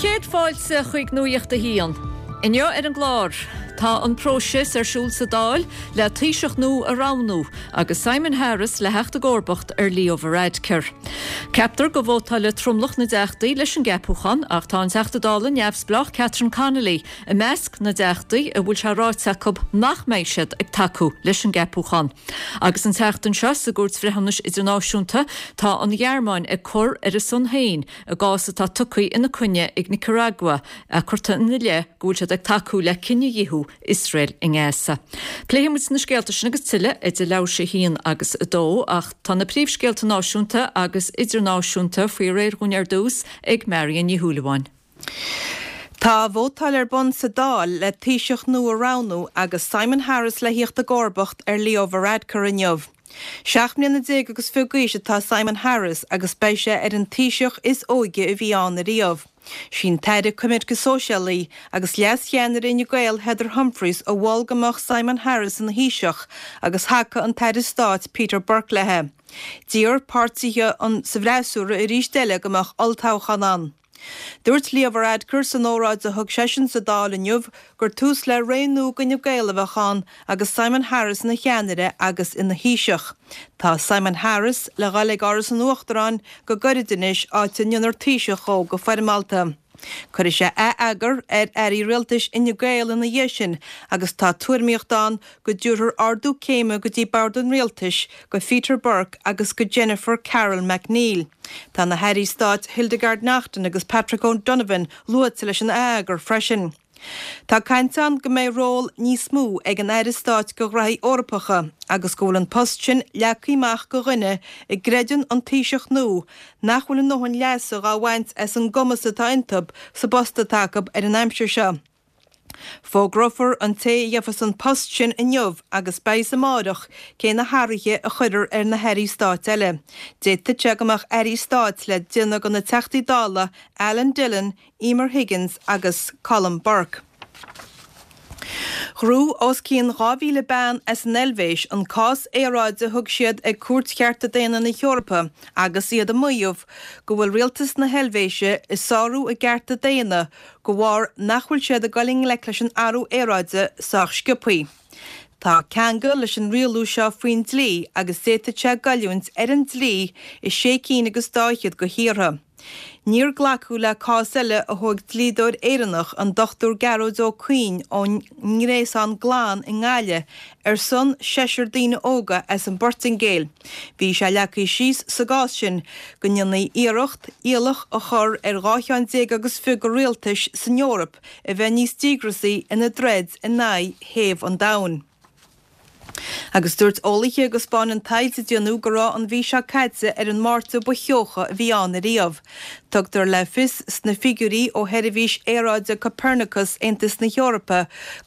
Céad fáilte chuig Nuacht a hAon. Inniu ar an gclár, tá an próiseas ar siúl sa Dáil le Taoiseach nua a roghnú agus Simon Harris le theacht i gcomharbacht ar Leo Varadkar. Ceaptar go vótálfaidh tromlach na dTeachtaí leis an gceapúchán ach tá an Teachta Dála neamhspleách Catherine Connolly i measc na dTeachtaí a bhfuil sé ráite acu nach mbeidh siad ag tacú leis an gceapúchán. Agus an tseachtain seo sa gCúirt Bhreithiúnais Idirnáisiúnta tá an Ghearmáin ag cur ar a son féin i gcás atá tugtha ina coinne ag Nicaragua, curtha ina leith go bhfuil siad ag tacú le cinedhíothú Iosrael i nGaza. Pléifidh muid na scéalta sin agus tuilleadh idir leathuair tar éis a haon agus a dó, ach tá na príomhscéalta náisiúnta agus idirnáisiúnta faoi réir dhúinn ar dtús ag Marion Ní Shúilleabháin. Tá vótáil ar bun sa Dáil le Taoiseach nua a roghnú agus Simon Harris le thíocht i gcomharbacht ar Leo Varadkar inniu. 17 mbliana agus fiche d'aois atá Simon Harris agus beidh sé ar an Taoiseach is óige a bhí ann ariamh. Sí an tAire Coimirce Sóisialaí agus Leas-Cheannaire Fhine Gael Heather Humphreys a mhol go mbeadh Simon Harris ina Thaoiseach agus thacaigh an tAire Stáit Peter Burke léi. D'iarr páirtithe sa bhfreasúra arís eile go mbeadh olltoghchán ann. Dúirt Leo Varadkar san óráid a thug seisean sa Dáil inniu gur tús le ré nua d'Fhine Gael a bheadh ann agus Simon Harris ina cheannaire agus ina Thaoiseach. Tá Simon Harris le dhul ag Áras an Uachtaráin go gairid anois, áit a ndéanfar Taoiseach dhó go foirmeálta. Cuirfidh sé ath-eagar ar airí rialtais Fhine Gael ina dhiaidh sin agus tá tuairimíocht ann go dtabharfar ardú céime go dtí bord an rialtais go Pheter Burke agus go Jennifer Carroll MacNeill. Tá na hairí stáit Hildegarde Naughton agus Patrick O'Donovan luaite leis an ath-eagar freisin. Tá caint ann go mbeidh ról níos mó ag an Aire Stáit do Ghraithí Eorpacha agus go bhfuil an post sin leagtha amach do dhuine a gcreideann an Taoiseach nua nach bhfuil a ndóthain leasa dhá bhaint as an gcumas atá iontu sa bpost atá acu ar an aimsir seo. Fógrófar an té a gheofas an post sin inniu agus beidh fhios amáireach cé na hathruithe a chuirfear ar na hairí stáit eile. D'fhéadfadh sé go mbeadh airí stáit le déanamh de na Teachtaí Dála Alan Dillon, Emer Higgins agus Colm Burke. Ghnóthaigh os cionn 2,000 bean as an Eilvéis an cás aeráide a thug siad ag Cúirt Chearta Daonna na hEorpa agus iad ag maíomh go bhfuil rialtas na hEilvéise ag sárú a gcearta daonna de bharr nach bhfuil siad ag dul i ngleic leis an athrú aeráide sách sciobthaí. Tá ceangal leis an rialú seo faoin dlí agus d'fhéadfadh sé goilliúint ar an dlí i sé cinn agus dá fhichead de thíortha. Níor glacadh le cás eile a thóg dlíodóir Éireannach, an Dr Gearóid Ó Cuinn ón nGréasán Glan i nGaillimh, ar son seisear daoine óga as an bPortaingéil. Bhí sé leagtha síos sa gcás sin go ndéanfaí iarracht iallach a chur ar 12 cheann agus fiche de rialtais san Eoraip a bheith níos díograsaí ina dtroid in aghaidh théamh an domhain. Agus dúirt eolaithe go 'spáineann taighde a déanadh go raibh an mhí seo caite ar an Márta ba theocha a bhí ann ariamh. Tugtar le fios sna figiúirí ó sheirbhís aeráide Copernicus Aontas na hEorpa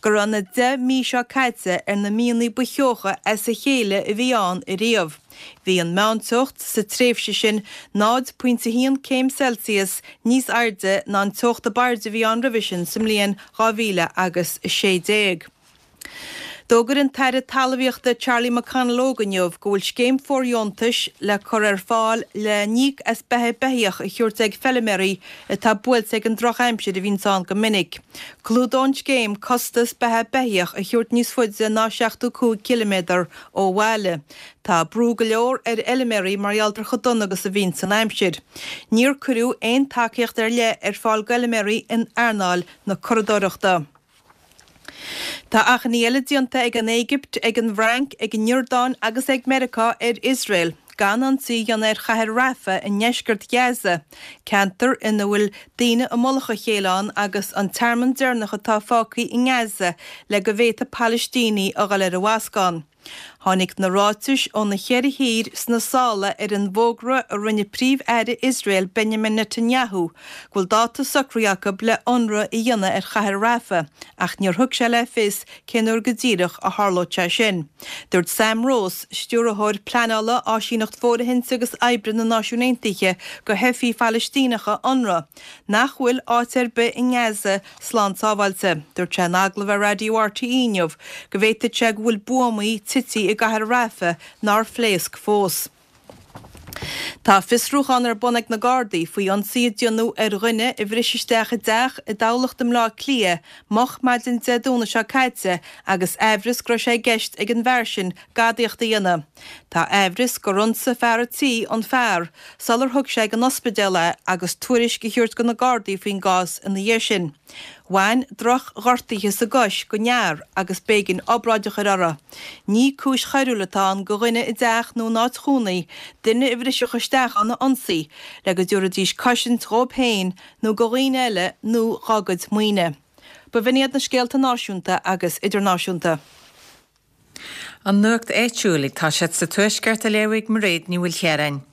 go raibh na 10 mí seo caite ar na míonna ba theocha as a chéile a bhí ann ariamh. Bhí an meánteocht sa tréimhse sin 0.1 céim Celsius níos airde ná an teocht ab airde a bhí ann roimhe sin sa mbliain 2016. D'fhógair an tAire Talmhaíochta Charlie McConalogue inniu go bhfuil scéim fóirdheontais le cur ar fáil le n-íoc as beatha beithíoch a thabhairt ag feilméaraí atá buailte ag an drochaimsir a bhíonns ann go minic. Clúdóidh an scéim costas beatha beithíoch a thabhairt níos faide ná 75 ciliméadar ó bhaile. Tá brú go leor ar fheilméaraí mar gheall ar chomh dona agus a bhíonns an aimsir. Níor cuireadh aon tacaíocht ar leith ar fáil d'fheilméaraí in earnáil na curadóireachta. Tá achainí eile déanta ag an Éigipt, ag an bhFrainc, ag an Iordáin agus ag Meiriceá ar Iosrael gan ionsaí a dhéanamh ar chathair Rafah i ndeisceart Ghaza, ceantar ina bhfuil daoine i mullach a chéile ann agus an tearmann deireanach atá fágtha i nGaza le go bhféadfaidh Palaistínigh a dhul ar an bhascán. Tháinig na ráitis ó na ceithre thír sna sála ar an bhfógra a rinne Príomh-Aire Iosrael Benjamin Netanyahu go bhfuil dáta socraithe acu le ionradh a dhéanamh ar chathair Rafah ach níor thug sé le fios cén uair go díreach a tharlódh sé sin. Dúirt Sam Rose, Stiúrthóir Pleanála, Áisíneacht Fóirithinte agus Oibre na Náisiún Aontaithe do theifigh Phalaistíneacha, Unrwa, nach bhfuil áit ar bith i nGaza slán sábháilte. Dúirt sé in agallamh ar Raidió RTÉ inniu go bhféadfadh sé go bhfuil buamaí tite i gcathair Rafah nár phléasc fós. Tá fiosrúchán ar bun ag na Gardaí faoi ionsaí a déanadh ar dhuine a bhris isteach i dteach i dTamhlacht i mBleá Cliath moch maidin Dé Domhnaigh seo caite agus aimhreas go raibh sé i gceist ag an bhfear sin gadaíocht a dhéanamh. Tá aimhreas gur ionsaigh fear a' tí an fear sular thug sé ag an ospidéal é agus tuairisc a thabhairt do na Gardaí faoin gcás ina dhiaidh sin. Bhain droch-ghortuithe sa gcois don fhear agus b'éigean obráid a chur orthu. Ní cúis choiriúil atá ann do dhuine i dteach nó in áit chónaí duine a bhrisfeadh isteach ann a ionsaí le go dtabharfaidís cosaint dhóibh féin nó do dhaoine eile nó dhá gcuid maoine. B'in iad na scéalta náisiúnta agus idirnáisiúnta. An nuacht áitiúil ag toiseacht sa Tuaisceart á léamh ag Mairéad Ní Mhaoilchiaráin.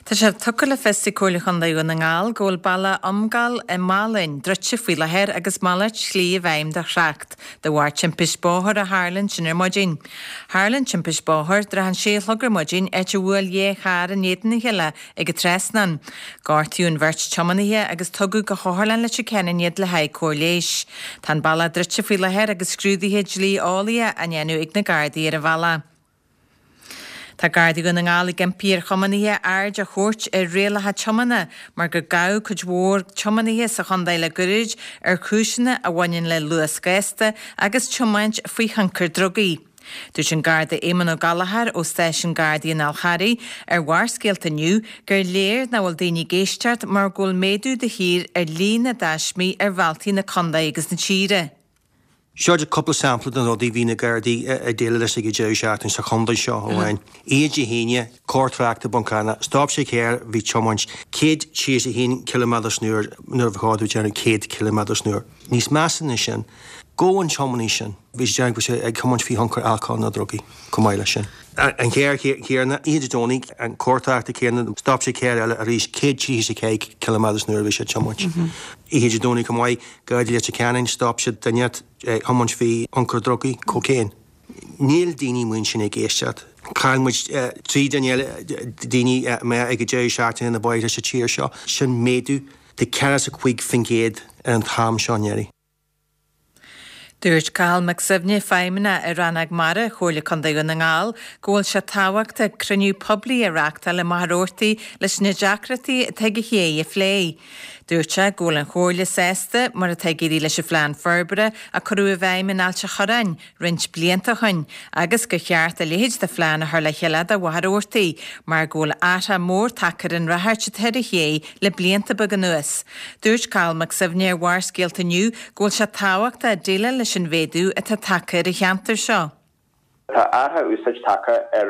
Tá sé tugtha le fios ag Comhairle Chontae Dhún na nGall go bhfuil bealach Iomghaill i Malainn druidte faoi láthair agus malairt slí i bhfeidhm do thrácht de bharr timpist bóthair a tharla ansin ar maidin. Tharla an timpist bóthair tráth an sé a chlog ar maidin áit a bhuail dhá charr in éadan a chéile ag an trasnán. Gortaíodh an bheirt tiománaithe agus tugadh go hOtharlann Leitir Ceanainn iad le haghaidh cóir leighis. Tá an bealach druidte faoi láthair agus scrúduithe dlí-eolaíocha á ndéanamh ag na Gardaí ar an bhealach. Tá Gardaí Dhún na nGall ag impí ar thiománaithe aird a thabhairt ar rialacha tiomána mar gur gabhadh cuid mhór tiománaithe sa chontae le goirid ar chúiseanna a bhaineann le luas gasta agus tiomáint faoi thionchar drugaí. Dúirt an Garda Éamonn Ó Gallchóir ó Stáisiún Gardaí an Fháil Charraigh ar Bharrscéalta inniu gur léir nach bhfuil daoine ag éisteacht mar go bhfuil méadú de shíor ar líon na dtaismí ar bhealtaí na contae agus na tíre. Seo cúpla sampla de na rudaí a bhí na Gardaí ag déileáil leis ag an deireadh seachtaine sa chontae seo amháin. Oíche Dé hAoine, carr tráchta i Bun Cranncha, stop sé carr, bhí tiomáint 131 ciliméadar san uair nuair a ba chóir dó déanamh 100 ciliméadar san uair. Níos measa ná sin, gabhadh an tiománaí sin, bhí sé déanamh go raibh sé ag tiomáint faoi thionchar alcóil nó drugaí chomh maith leis sin. An carr céanna, oíche Dé Domhnaigh, an carr tráchta céanna, stop sé carr eile arís, 134 ciliméadar san uair a bhí sé ag tiomáint. Oíche Dé Domhnaigh chomh maith, Gardaí Leitir Ceanainn, stop siad duine ag tiomáint faoi thionchar drugaí, cocaine. Níl daoine amuigh ansin ag éisteacht. Chaill muid 3 duine eile, daoine amach ag an deireadh seachtaine ar na bóithre sa tír seo. Sin méadú de 45% ar an t-am seo anuraidh. Dúirt Cathal Mac Suibhne, Feidhmeannach i Rannóg Mara Chomhairle Contae Dhún na nGall, go bhfuil sé tábhachtach cruinniú poiblí a reáchtáil i Machaire Rabhartaigh leis na deacrachtaí atá ag an ché a phlé. Dúirt sé go bhfuil an Chomhairle sásta mar atá ag éirí leis an phlean forbartha a cuireadh i bhfeidhm in Ailt a' Chorráin roinnt blianta ó shin agus gur cheart a leithéid de phlean a chur le chéile do Mhachaire Rabhartaigh mar go bhfuil athrach mór tagtha ar an ráchairt atá ar an ché le blianta beaga anuas. Dúirt Cathal Mac Suibhne ar Bharrscéalta inniu go bhfuil sé tábhachtach déileáil leis an mhéadú atá tagtha ar an cheantar seo. Tá athrach úsáid tagtha ar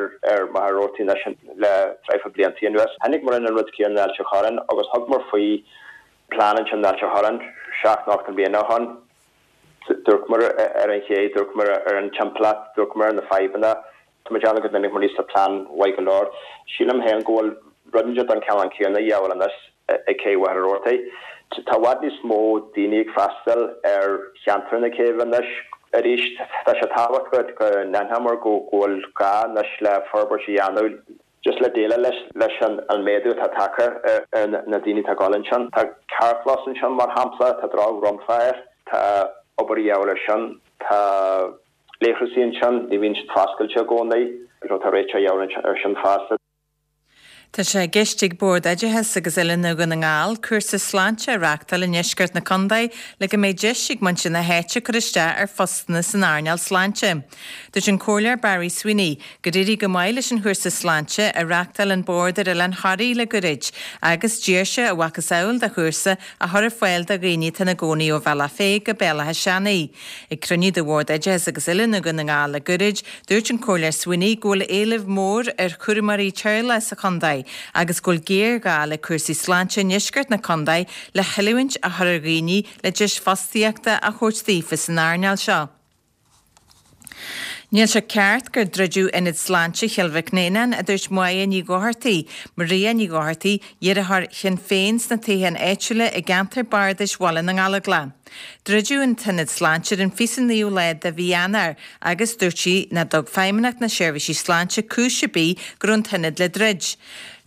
Mhachaire Rabhartaigh anois le traidhfil bliantaí anuas. Chonaic muid an rud céanna in Ailt a' Chorráin agus thug muid faoi plean ansin in Ailt a' Chorráin seacht nó ocht mbliana ó shoin. D'amharc muid ar an ché, d'amharc muid ar an timpeallacht, d'amharc muid ar na fadhbanna. Tá mé ag déanamh go dtáinig muid aníos le plean mhaith go leor. Sílim féin go bhfuil rud inteacht den chineál céanna a dhíobháil anois ag Cé Mhachaire Rabhartaigh. Tá i bhfad níos mó daoine ag freastal ar cheantar na céibhe anois. Arís, tá sé tábhachtach go n-aithneomar go bhfuil gá anois le forbairt a dhéanamh just le déileáil leis an méadú atá tagtha ar na daoine atá ag dul ansin. Tá carrchlós ansin, mar shampla, tá drochdhromchla air, tá obair a dhíobháil air sin, tá leithreasaí ansin, ní bhíonn siad foscailte i gcónaí, tá réiteach a dhíobháil air sin fosta. Tá sé i gceist ag Bord Oideachais agus Oiliúna Dhún na nGall cúrsa sláinte a reáchtáil i ndeisceart na contae le go mbeidh deis ag muintir na háite cur isteach ar phostanna san earnáil sláinte. Dúirt an Comhairleoir Barry Sweeney gur éirigh go maith leis an chúrsa sláinte a reáchtáil an Bord ar Oileán Thoraí le goirid agus d'iarr sé a mhacasamhail de chúrsa a chur ar fáil do dhaoine atá ina gcónaí ó Bhealach Féich go Béal Átha Seanaidh. Ag cruinniú de Bhord Oideachais agus Oiliúna Dhún na nGall le goirid, dúirt an Comhairleoir Sweeney go bhfuil éileamh mór ar chúramóirí teaghlaigh sa chontae agus go bhfuil géarghá le cúrsaí sláinte i ndeisceart na contae le hoiliúint a chur ar dhaoine le deis fostaíochta a thabhairt daofa san earnáil seo. Níl sé ceart gur druideadh Ionad Sláinte Chill Mhic Néanáin, a dúirt Máire Ní Dhochartaigh, Maria Ní Dhochartaigh, iarrthóir Shinn Féin sna toghcháin áitiúla i gceantar bardais Bhaile na nGallóglach. Druideadh an t-ionad sláinte ar an 29ú lá de mhí Eanáir agus dúirt sí nach dtug Feidhmeannacht na Seirbhísí Sláinte cúis ar bith go raibh an t-ionad le druid.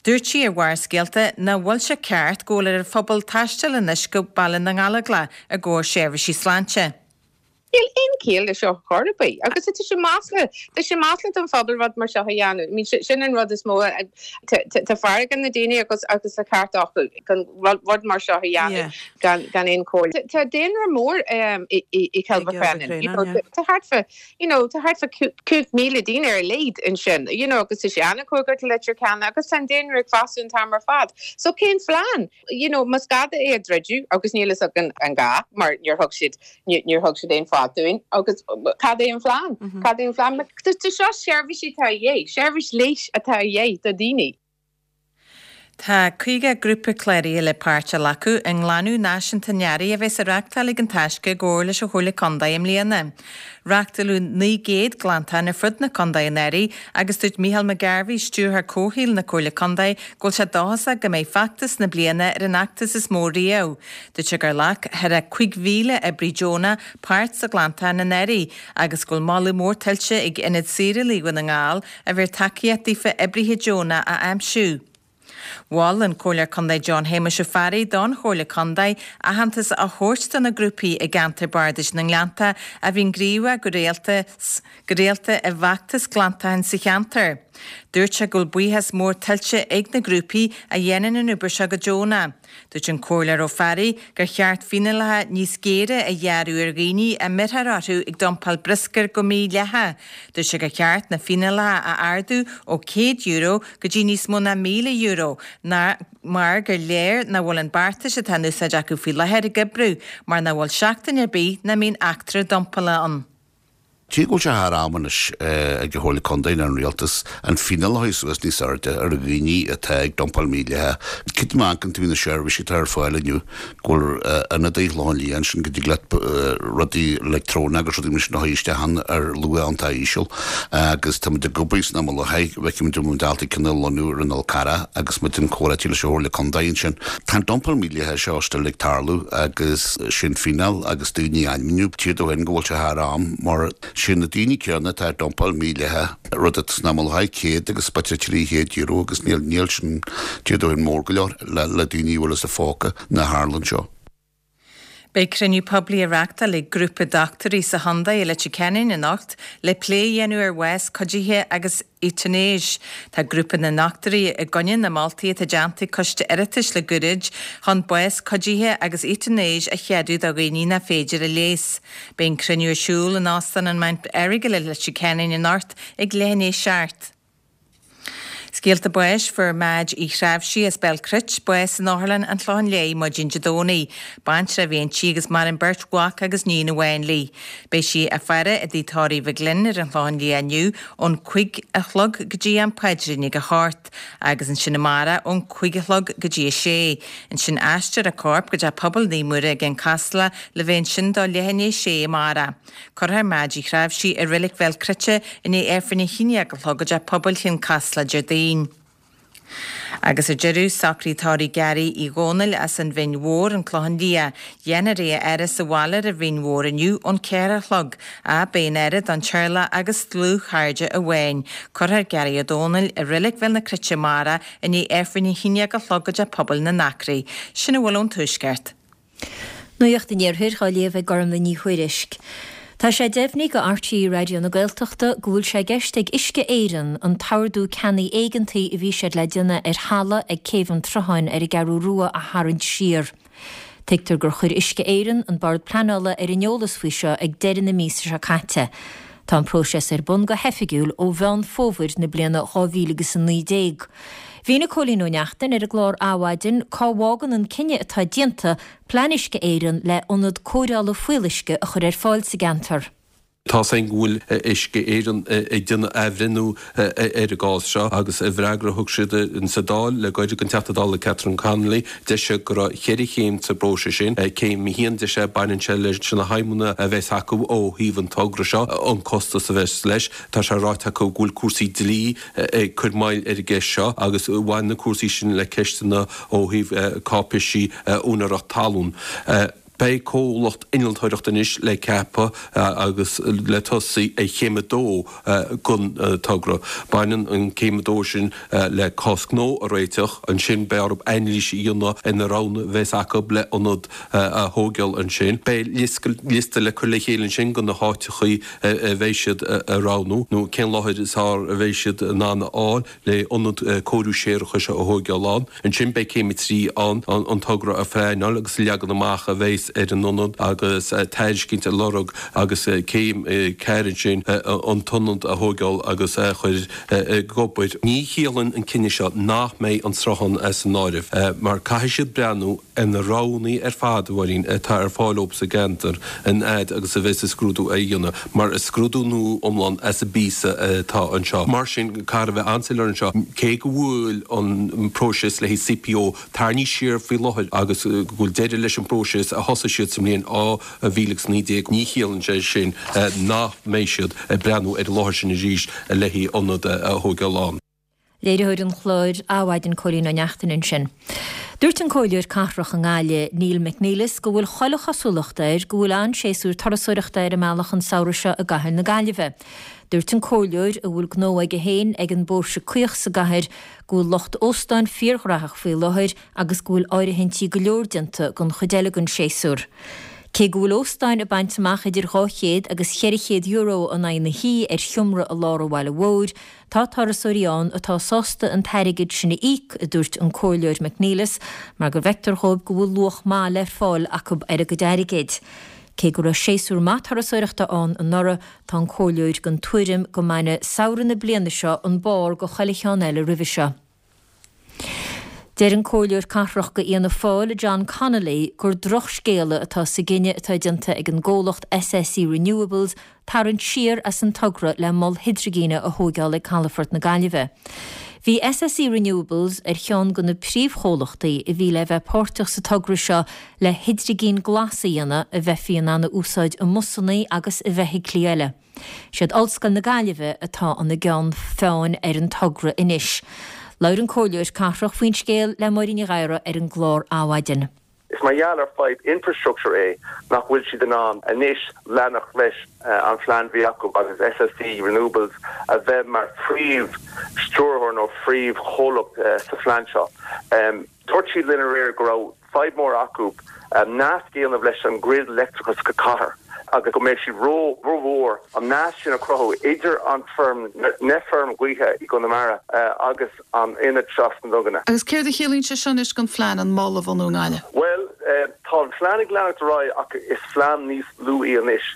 Dúirt sí ar Bharrscéalta nach bhfuil sé ceart go bhfuil ar an phobal taisteal anois go Baile na nGallóglach i gcomhair seirbhísí sláinte. Níl aon chiall le seo chor ar bith agus tá sé masla, tá sé masla don phobal rud mar seo a dhéanamh. I mean sin an rud is mó, tá fearg ar na daoine agus agus an ceart acu gan rud mar seo a dhéanamh gan gan aon chomhairle. Tá daonra mór i i Cill Mhic you know, tá thart fá you know, tá thart fá 5,000 daoine ar a laghad ansin, you know, agus tá sé an-chóngarach do Leitir Ceanainn agus tá an daonra ag fás an t-am ar fad. So cén phlean? You know, más gá é a dhruideadh, agus níl fhios againn an gá, mar níor thug siad, níor thug siad aon fáth dúinn, agus cad é an phlean? Cad é an phlean? Tá seo seirbhísí atá a dhíth, seirbhís leighis atá a dhíth do dhaoine. Tá 50 grúpa cláraithe le páirt a ghlacadh i nGlanadh Náisiúnta an Earraigh a bheas á reáchtáil ag An Taisce i gcomhar leis an Chomhairle Contae i mbliana. Reáchtáladh 900 glantachán ar fud na contae anuraidh agus dúirt Micheál McGarvey, Stiúrthóir Comhshaoil na Comhairle Contae, go bhfuil sé dóchasach go mbeidh feachtas na bliana ar an fheachtas is mó riamh. Dúirt sé gur ghlac thar a 5,000 oibrí deonach páirt sa ghlantachán anuraidh agus go bhfuil moladh mór tuillte ag Ionad Saorálaí Dhún na nGall a bhí ar tacaíocht daofa oibrithe deonacha a aimsiú. Mhol an Comhairleoir Contae John Shéamuis Ó Fearraigh don Chomhairle Contae aitheantas a thabhairt do na grúpaí i gceantar Bardais na nGleannta a bhíonn gníomhach go rialta go rialta i bhfeachtais glantacháin sa cheantar. Dúirt sé go bhfuil buíochas mór tuillte ag na grúpaí a dhéanann an obair seo go deonach. Dúirt an Comhairleoir Ó Fearraigh gur cheart fíneálacha níos géire a ghearradh ar dhaoine a mbeirthear orthu ag dumpáil bruscair go mídhleathach. Dúirt sé gur cheart na fíneálacha a ardú ó €100 go dtí níos mó ná €1,000 mar gur léir nach bhfuil an beartas atá in úsáid acu faoi láthair ag oibriú mar nach bhfuil seachtain ar bith nach mbíonn eachtra dumpála ann. Cé go bhfuil sé thar am anois ag an Chomhairle Contae nó an Rialtas an fíneáil a chur suas níos airde ar dhaoine atá ag dumpáil mídhleathach. Creidim má amharcann tú ar na seirbhísí atá ar fáil inniu go bhfuil ionadaí Chlochán Liath ansin go dtig leat rudaí leictreonacha agus rudaí mar sin a chur isteach ann ar luach iontach íseal agus tá muid ag obair san am i láthair, feicfidh muid an bhfuil muid ábalta ceann a lonnú ar an Fhol Carrach agus muid in comhráití leis an Chomhairle Contae ansin. Tá an dumpáil mídhleathach seo still ag tarlú agus sin fíneáil agus daoine a ainmniú. Tír dó féin go bhfuil sé thar am mar sin na daoine céanna atá ag dumpáil mídhleathach, rud atá san am i láthair 100 agus b'fhéidir €300 agus níl níl sin tír dó féin mór go leor le le daoine a bhfuil as a phóca na tharlann seo. Beidh cruinniú poiblí á reáchtáil ag grúpa dochtúirí sa chontae i Leitir Ceanainn anocht le plé a dhéanamh ar bhás cuidithe agus eotanáis. Tá grúpa na ndochtúirí i gcoinne na moltaí atá déanta ag Coiste Oireachtais le goirid chun bás cuidithe agus eotanáis a cheadú do dhaoine nach féidir a leigheas. Beidh an cruinniú ar siúl in Óstán an Mount Errigal i Leitir Ceanainn anocht ag leath i ndiaidh a 7. Scéalta báis, Fuair Madge Uí Threabhsigh as Béal Cruit bás in Otharlann an Chlocháin Léith maidin Dé Domhnaigh. Baintreach a bhí inti agus maireann beirt mhac agus níon amháin léi. Beidh sí á faire i dTigh Tórraimh Mhig Fhloinn ar an Chlochán Liath inniu ón 5 a chlog go dtí am paidrín ag a hocht agus ansin amárach ón 5 a chlog go dtí a sé. Ansin aistreofar a corp go dtí Pobail Naomh Muire i gCionn Caslach le bheith ansin do leath i ndiaidh a sé amárach. Cuirfear Madge Uí Threabhsigh i Reilig Bhéal Cruite i ndiaidh Aifreann a haon déag a chlog i dTeach Pobail Chionn Caslach Déardaoin. Agus ar deireadh, socraithe tórraimh Gary Uí Dhónaill as an Bhinn Mhór, An Clochán Liath. Dhéanfar é a fhaire sa bhaile ar an Bhinn Mhór inniu ón 4 a chlog. Ach beidh an fhaire don teaghlach agus dlúthchairde amháin. Cuirfear Gary Ó Dónaill i Reilig Bhéal na Cruite amárach i ndiaidh Aifreann a haon déag a chlog i dTeach Pobail na nAcraí. Sin a bhfuil ón Tuaisceart. Nuacht an Iarthair á léamh ag Gormlaith Ní Thuairisg. Tá sé deimhnithe do RTÉ Raidió na Gaeltachta go bhfuil sé i gceist ag Uisce Éireann an t-ordú ceannaigh éigeantaigh a bhí siad le déanamh ar thalamh ag Céibh an tSrutháin ar an gCeathrú Rua a tharraingt siar. Tuigtear gur chuir Uisce Éireann an Bord Pleanála ar an eolas faoi seo ag deireadh na míosa seo caite. Tá an próiseas ar bun go hoifigiúil ó Mheán Fómhair na bliana 2019. Mhínigh Cóilín Ó Neachtain ar an gclár Adhmhaidin cá bhfágann an cinneadh atá déanta plean Uisce Éireann le ionad cóireála fuíolluisce a chur ar fáil sa gceantar. Tá's againn go bhfuil Uisce Éireann ag déanamh athbhreithniú ar an gcás seo agus i bhfreagra a thug siad sa Dáil le gairid don Teachta Dála Catherine Connolly, deir sé go raibh cheithre chéim sa bpróiseas sin. Céim a haon, deir sé, baineann sé leis na haidhmeanna a bheas acu ó thaobh an togra seo, an costas a bheas leis. Tá sé ráite acu go bhfuil cúrsaí dlí ag cur moill ar an gceist seo agus bhain na cúrsaí sin le ceisteanna ó thaobh cáipéisí úinéireacht talún. Beidh comhlacht innealtóireachta anois le ceapadh agus le tosaí ar chéim a dó den togra. Baineann an céim a dó sin le cás gnó a réiteach. Ansin beidh orthu anailís a dhéanamh ar na roghanna a bheas acu le ionad a thóigeáil ansin. Beidh liosta le cur le chéile ansin de na háiteachaí a bheidh siad a roghnú nó cén láthair is fearr a bheidh siad in ann a fháil le ionad cóiriú séarachais a thóigeáil ann. Ansin beidh céim a 3 ann, an togra a phleanáil agus leagan amach a bheas ar an ionad agus tairiscint a lorg agus céim 4 ansin, an t-ionad a thóigeáil agus a chur ag obair. Ní chiallaíonn an cinneadh seo nach mbeidh an sruthán as an áireamh mar caithfidh siad breathnú ar na roghanna ar fad, a Mháirín, atá ar fáil dóibh sa gceantar an fhaid agus a bheas an scrúdú á dhéanamh, mar is scrúdú nua iomlán as an bpíosa atá anseo. Mar sin, caithfear a bheith an-soiléir anseo, cé go bhfuil an próiseas le haghaidh CPO tarraingthe siar faoi láthair agus go bhfuil deireadh leis an bpróiseas a thosaigh siad sa mbliain 2019, ní chiallaíonn sé sin nach mbeidh siad ag breathnú ar an láthair sin arís le haghaidh ionad a thóigeáil ann. Léiritheoir an chláir Adhmhaidin Cóilín Ó Neachtain ansin. Dúirt an Comhairleoir Cathrach i nGaillimh, Neil McNeilus go bhfuil chuile chosúlacht air go bhfuil an-séasúr turasóireachta ar an mbealach an samhradh seo i gcathair na Gaillimhe. Dúirt an Comhairleoir, a bhfuil gnó aige féin ag an bPóirse Caoch sa gcathair, go bhfuil lucht óstáin fíorghraitheach faoi láthair agus go bhfuil áirithintí go leor déanta don chuid eile den séasúr. Cé go bhfuil óstáin ag baint amach idir €200 agus €400 in aghaidh na hoíche ar sheomra i lár an bhaile mhóir, Tá turasóirí ann atá sásta an t-airgead sin a íoc, a dúirt an Comhairleoir McNeilus, mar go bhfeictear dhóibh go bhfuil luach maith le fáil acu ar a gcuid airgid. Cé go raibh séasúr maith turasóireachta ann anuraidh, tá an Comhairleoir den tuairim go mbainfidh samhradh na bliana seo an barr de chuile cheann eile roimhe seo. Deir an Comhairleoir Cathrach do Fhianna Fáil, John Connolly, gur drochscéala atá sa gcinneadh atá déanta ag an gcomhlacht SSE Renewables tarraingt siar as an togra le mol hidrigine a thóigeáil ag calafort na Gaillimhe. Bhí SSE Renewables ar cheann de na príomhchomhlachtaí a bhí le bheith páirteach sa togra seo le hidrigin glas a dhéanamh a bheifí in ann a úsáid i mbusannaí agus i bhfeithiclí eile. Siad Ollscoil na Gaillimhe atá ina gceann feadhain ar an togra anois. Labhair an Comhairleoir Cathrach faoin scéal le Máirín Ní Ghadhra ar an gclár Adhmhaidin. Is mar gheall ar fadhb infrastructure é nach bhfuil siad in ann anois leanacht leis an phlean bhí acu agus SSE Renewables a bheith mar phríomh stiúrthóir nó phríomh chomhlacht sa phlean seo. Dúirt siad linn aréir go raibh fadhb mór acu nasc a dhéanamh leis an grid leictreachais sa chathair agus go mbeadh siad ró mhór an nasc sin a chruthú idir an feirm, na feirm ghaoithe i gConamara agus an ionad seo sna Duganna. Agus céard a chiallaíonn sé seo anois don phlean an mol a bhunú i nGaillimh? Bhuel, tá an phlean ag leanacht ar aghaidh ach is phlean níos lú í anois.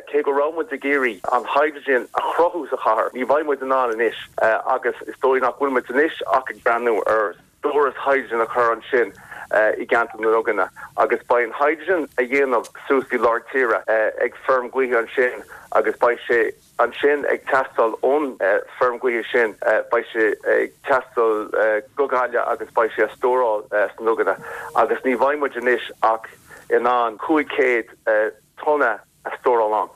Cé go raibh muid ag iarraidh an hydrogen a chruthú sa chathair, ní bheidh muid in ann anois agus is dóigh nach bhfuil muid anois ach ag breathnú ar stóras hydrogen a chur ansin i gceantar na nDuganna agus beidh an hydrogen á dhéanamh suas i lár tíre ag feirm gaoithe ansin agus beidh sé ansin ag teastáil ón feirm gaoithe sin, beidh sé ag teastáil go Gaillimh agus beidh sé á stóráil sna Duganna agus ní bheidh muid anois ach in ann 500 tonna a stóráil ann.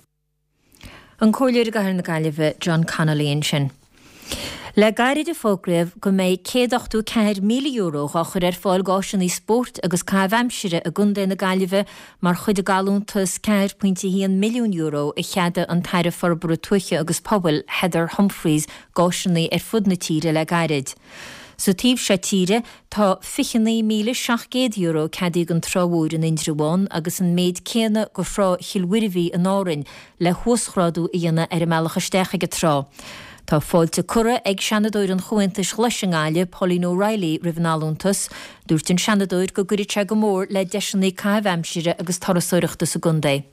An Comhairleoir i gCathair na Gaillimhe, John Connolly ansin. Le gairid a fógraíodh go mbeidh €184,000 á chur ar fáil d'áiseanna spóirt agus caitheamh aimsire i gContae na Gaillimhe mar chuid den gallúntas €4.1 milliún a cheadaigh an tAire Forbartha Tuaithe agus Pobail, Heather Humphreys d'áiseanna ar fud na tíre le gairid. Sa taobh seo tíre, tá €29,700 ceadaithe don Trá Mhór in Indreabhán agus an méid céanna do Thrá Chill Mhuirbhigh in Árainn le huasghrádú a dhéanamh ar an mbealach isteach ag an trá. Tá fáilte curtha ag Seanadóir an Chomhaontais Ghlais i nGaillimh, Pauline O'Reilly, roimh an allúntas. Dúirt an Seanadóir go gcuirfidh sé go mór le deiseanna caitheamh aimsire agus turasóireachta sa gcontae.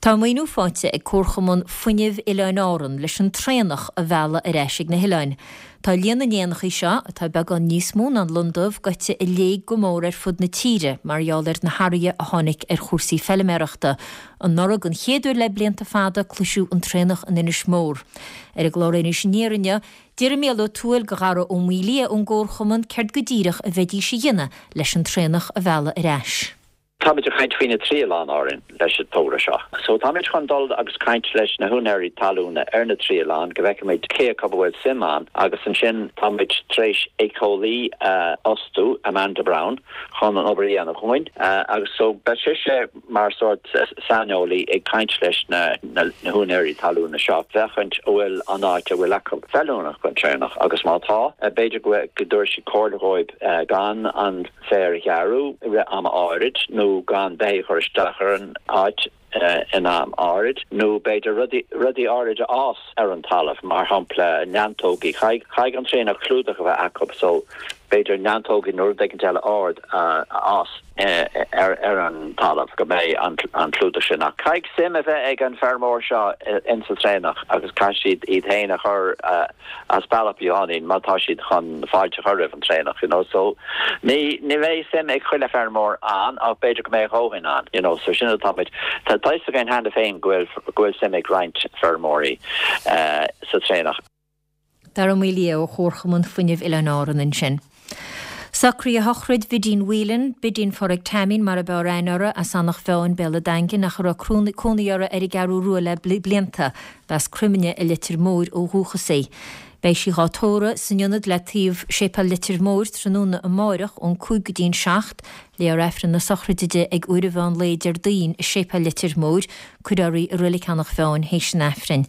Tá maoiniú faighte ag Comharchumann Fuinnimh Oileáin Árann leis an traonach a mhealladh ar ais ag na hoileáin. Tá líon na n-éanachaí seo, atá beagán níos mó ná an lon dubh, gaibhte i léig go mór ar fud na tíre mar gheall ar na hathruithe a tháinig ar chúrsaí feiliméarachta. Anuraidh, den chéad uair le blianta fada, cloiseadh an traonach in Inis Mór. Ar an gclár Anois Aniar inniu, d'iarr Mícheál Ó Tuathail de Dhara Ó Maolaodha ón gComharchumann céard go díreach a bheidís a dhéanamh leis an traonach a mhealladh ar ais. Táimid ag caint faoi na trí oileán Árainn leis an togra seo. So táimid chun dul agus caint leis na húinéirí talúna ar na trí oileán go bhfeicfimid cé acu a bhfuil suim ann agus ansin táimid tar éis éiceolaí a fhostú, Amanda Brown, chun an obair a dhéanamh dhúinn agus so beidh sise mar sórt saineolaí ag caint leis na húinéirí talúna seo féachaint an bhfuil an áit a bhfuil acu feiliúnach don traonach agus má tá, b'fhéidir go dtabharfaidh sí comhairle dhóibh gan an féar a ghearradh i rith ama áirid nó gan beithígh a chur isteach ar an áit in am áirid nó b'fhéidir rudaí, rudaí áirid a fhás ar an talamh, mar shampla neantógaí. Caithfidh an traonach clúdach a bheith acu so b'fhéidir neantógaí nó rud éicint eile ard a fhás ar ar an talamh go mbeidh an an clúdach sin. Ach caithfidh suim a bheith ag an feirmeoir seo insa traonach agus caithfidh siad iad féin a chur as bealach beagáinín má tá siad chun fáilte a chur roimh an traonach, you know, so ní, ní bheidh suim ag chuile feirmeoir ann ach b'fhéidir go mbeidh a dhóthain ann, you know, so sin atá muid, tá fhios againn cheana féin go bhfuil, go bhfuil suim ag roinnt feirmeoirí sa traonach. Dara Ó Maolaodha ó Chomharchumann Fuinnimh Oileáin Árann ansin. Socruithe shochraid Bhidín Whelan, Bidín Phádraig Taimín mar ab fhearr aithne uirthi, as Eanach Mheáin, Béal a' Daingin, ach a raibh cónaí uirthi ar an gCeathrú Rua le blianta. B'as Croimne i Leitir Móir ó dhúchas í. Beidh sí dhá tórramh san ionad le taobh Séipéal Leitir Móir tráthnóna amáireach ón 5 go dtí'n 7. Léifear Aifreann na sochraide di ag uair an mheán lae Déardaoin i Séipéal Leitir Móir. Cuirfear í i Roilig Eanach Mheáin théis an Aifrinn.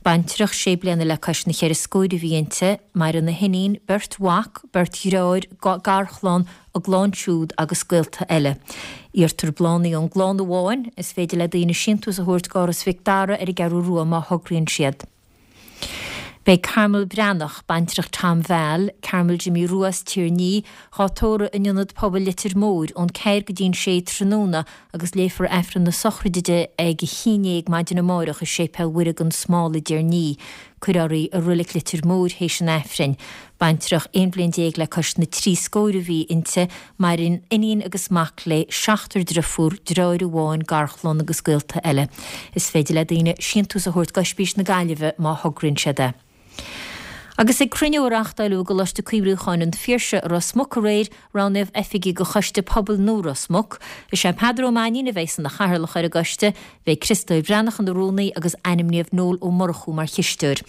Baintreach sé bliana le cois na cheithre scóir a bhí inti. Maireann a hiníon, beirt mhac, beirt dhreáir, garchlann, a gclann siúd agus gaolta eile. Iarrtar bláthanna ón gclann amháin. Is féidir le daoine síntiús a thabhairt d'Áras Mhic Dara ar an gCeathrú Rua má thograíonn siad. Beidh Carmel Breathnach, baintreach Tom Val, Carmel Jimmy Rua as Tír an Fhia, dhá tórramh in Ionad Pobail Leitir Móir ón ceathair go dtí'n sé tráthnóna agus léifear Aifreann na sochraide di ag a haon dhéag maidin amáireach i Séipéal Mhuire gan Smál i dTír an Fhia. Cuirfear í i Roilig Leitir Móir théis an Aifrinn. Baintreach 11 bhliain le cois na dtrí scóir a bhí inti, maireann iníon agus mac léi, seachtar driofúr, dreáir amháin, garchlann agus gaolta eile. Is féidir le daoine síntiús a thabhairt d'Oispís na Gaillimhe má thograíonn siad é. Agus ag cruinniú a reáchtáileadh i gColáiste Cuimhriúcháin an Phiarsaigh i Ros Muc aréir, roghnaíodh oifigigh do Choiste Pobail nua Ros Muc. Is é Peadar Ó Mainnín a bheidh ina chathaoirleach ar an gcoiste, Beidh Criostóir Breathnach ina rúnaí agus ainmníodh Noel Ó Murchú mar chisteoir.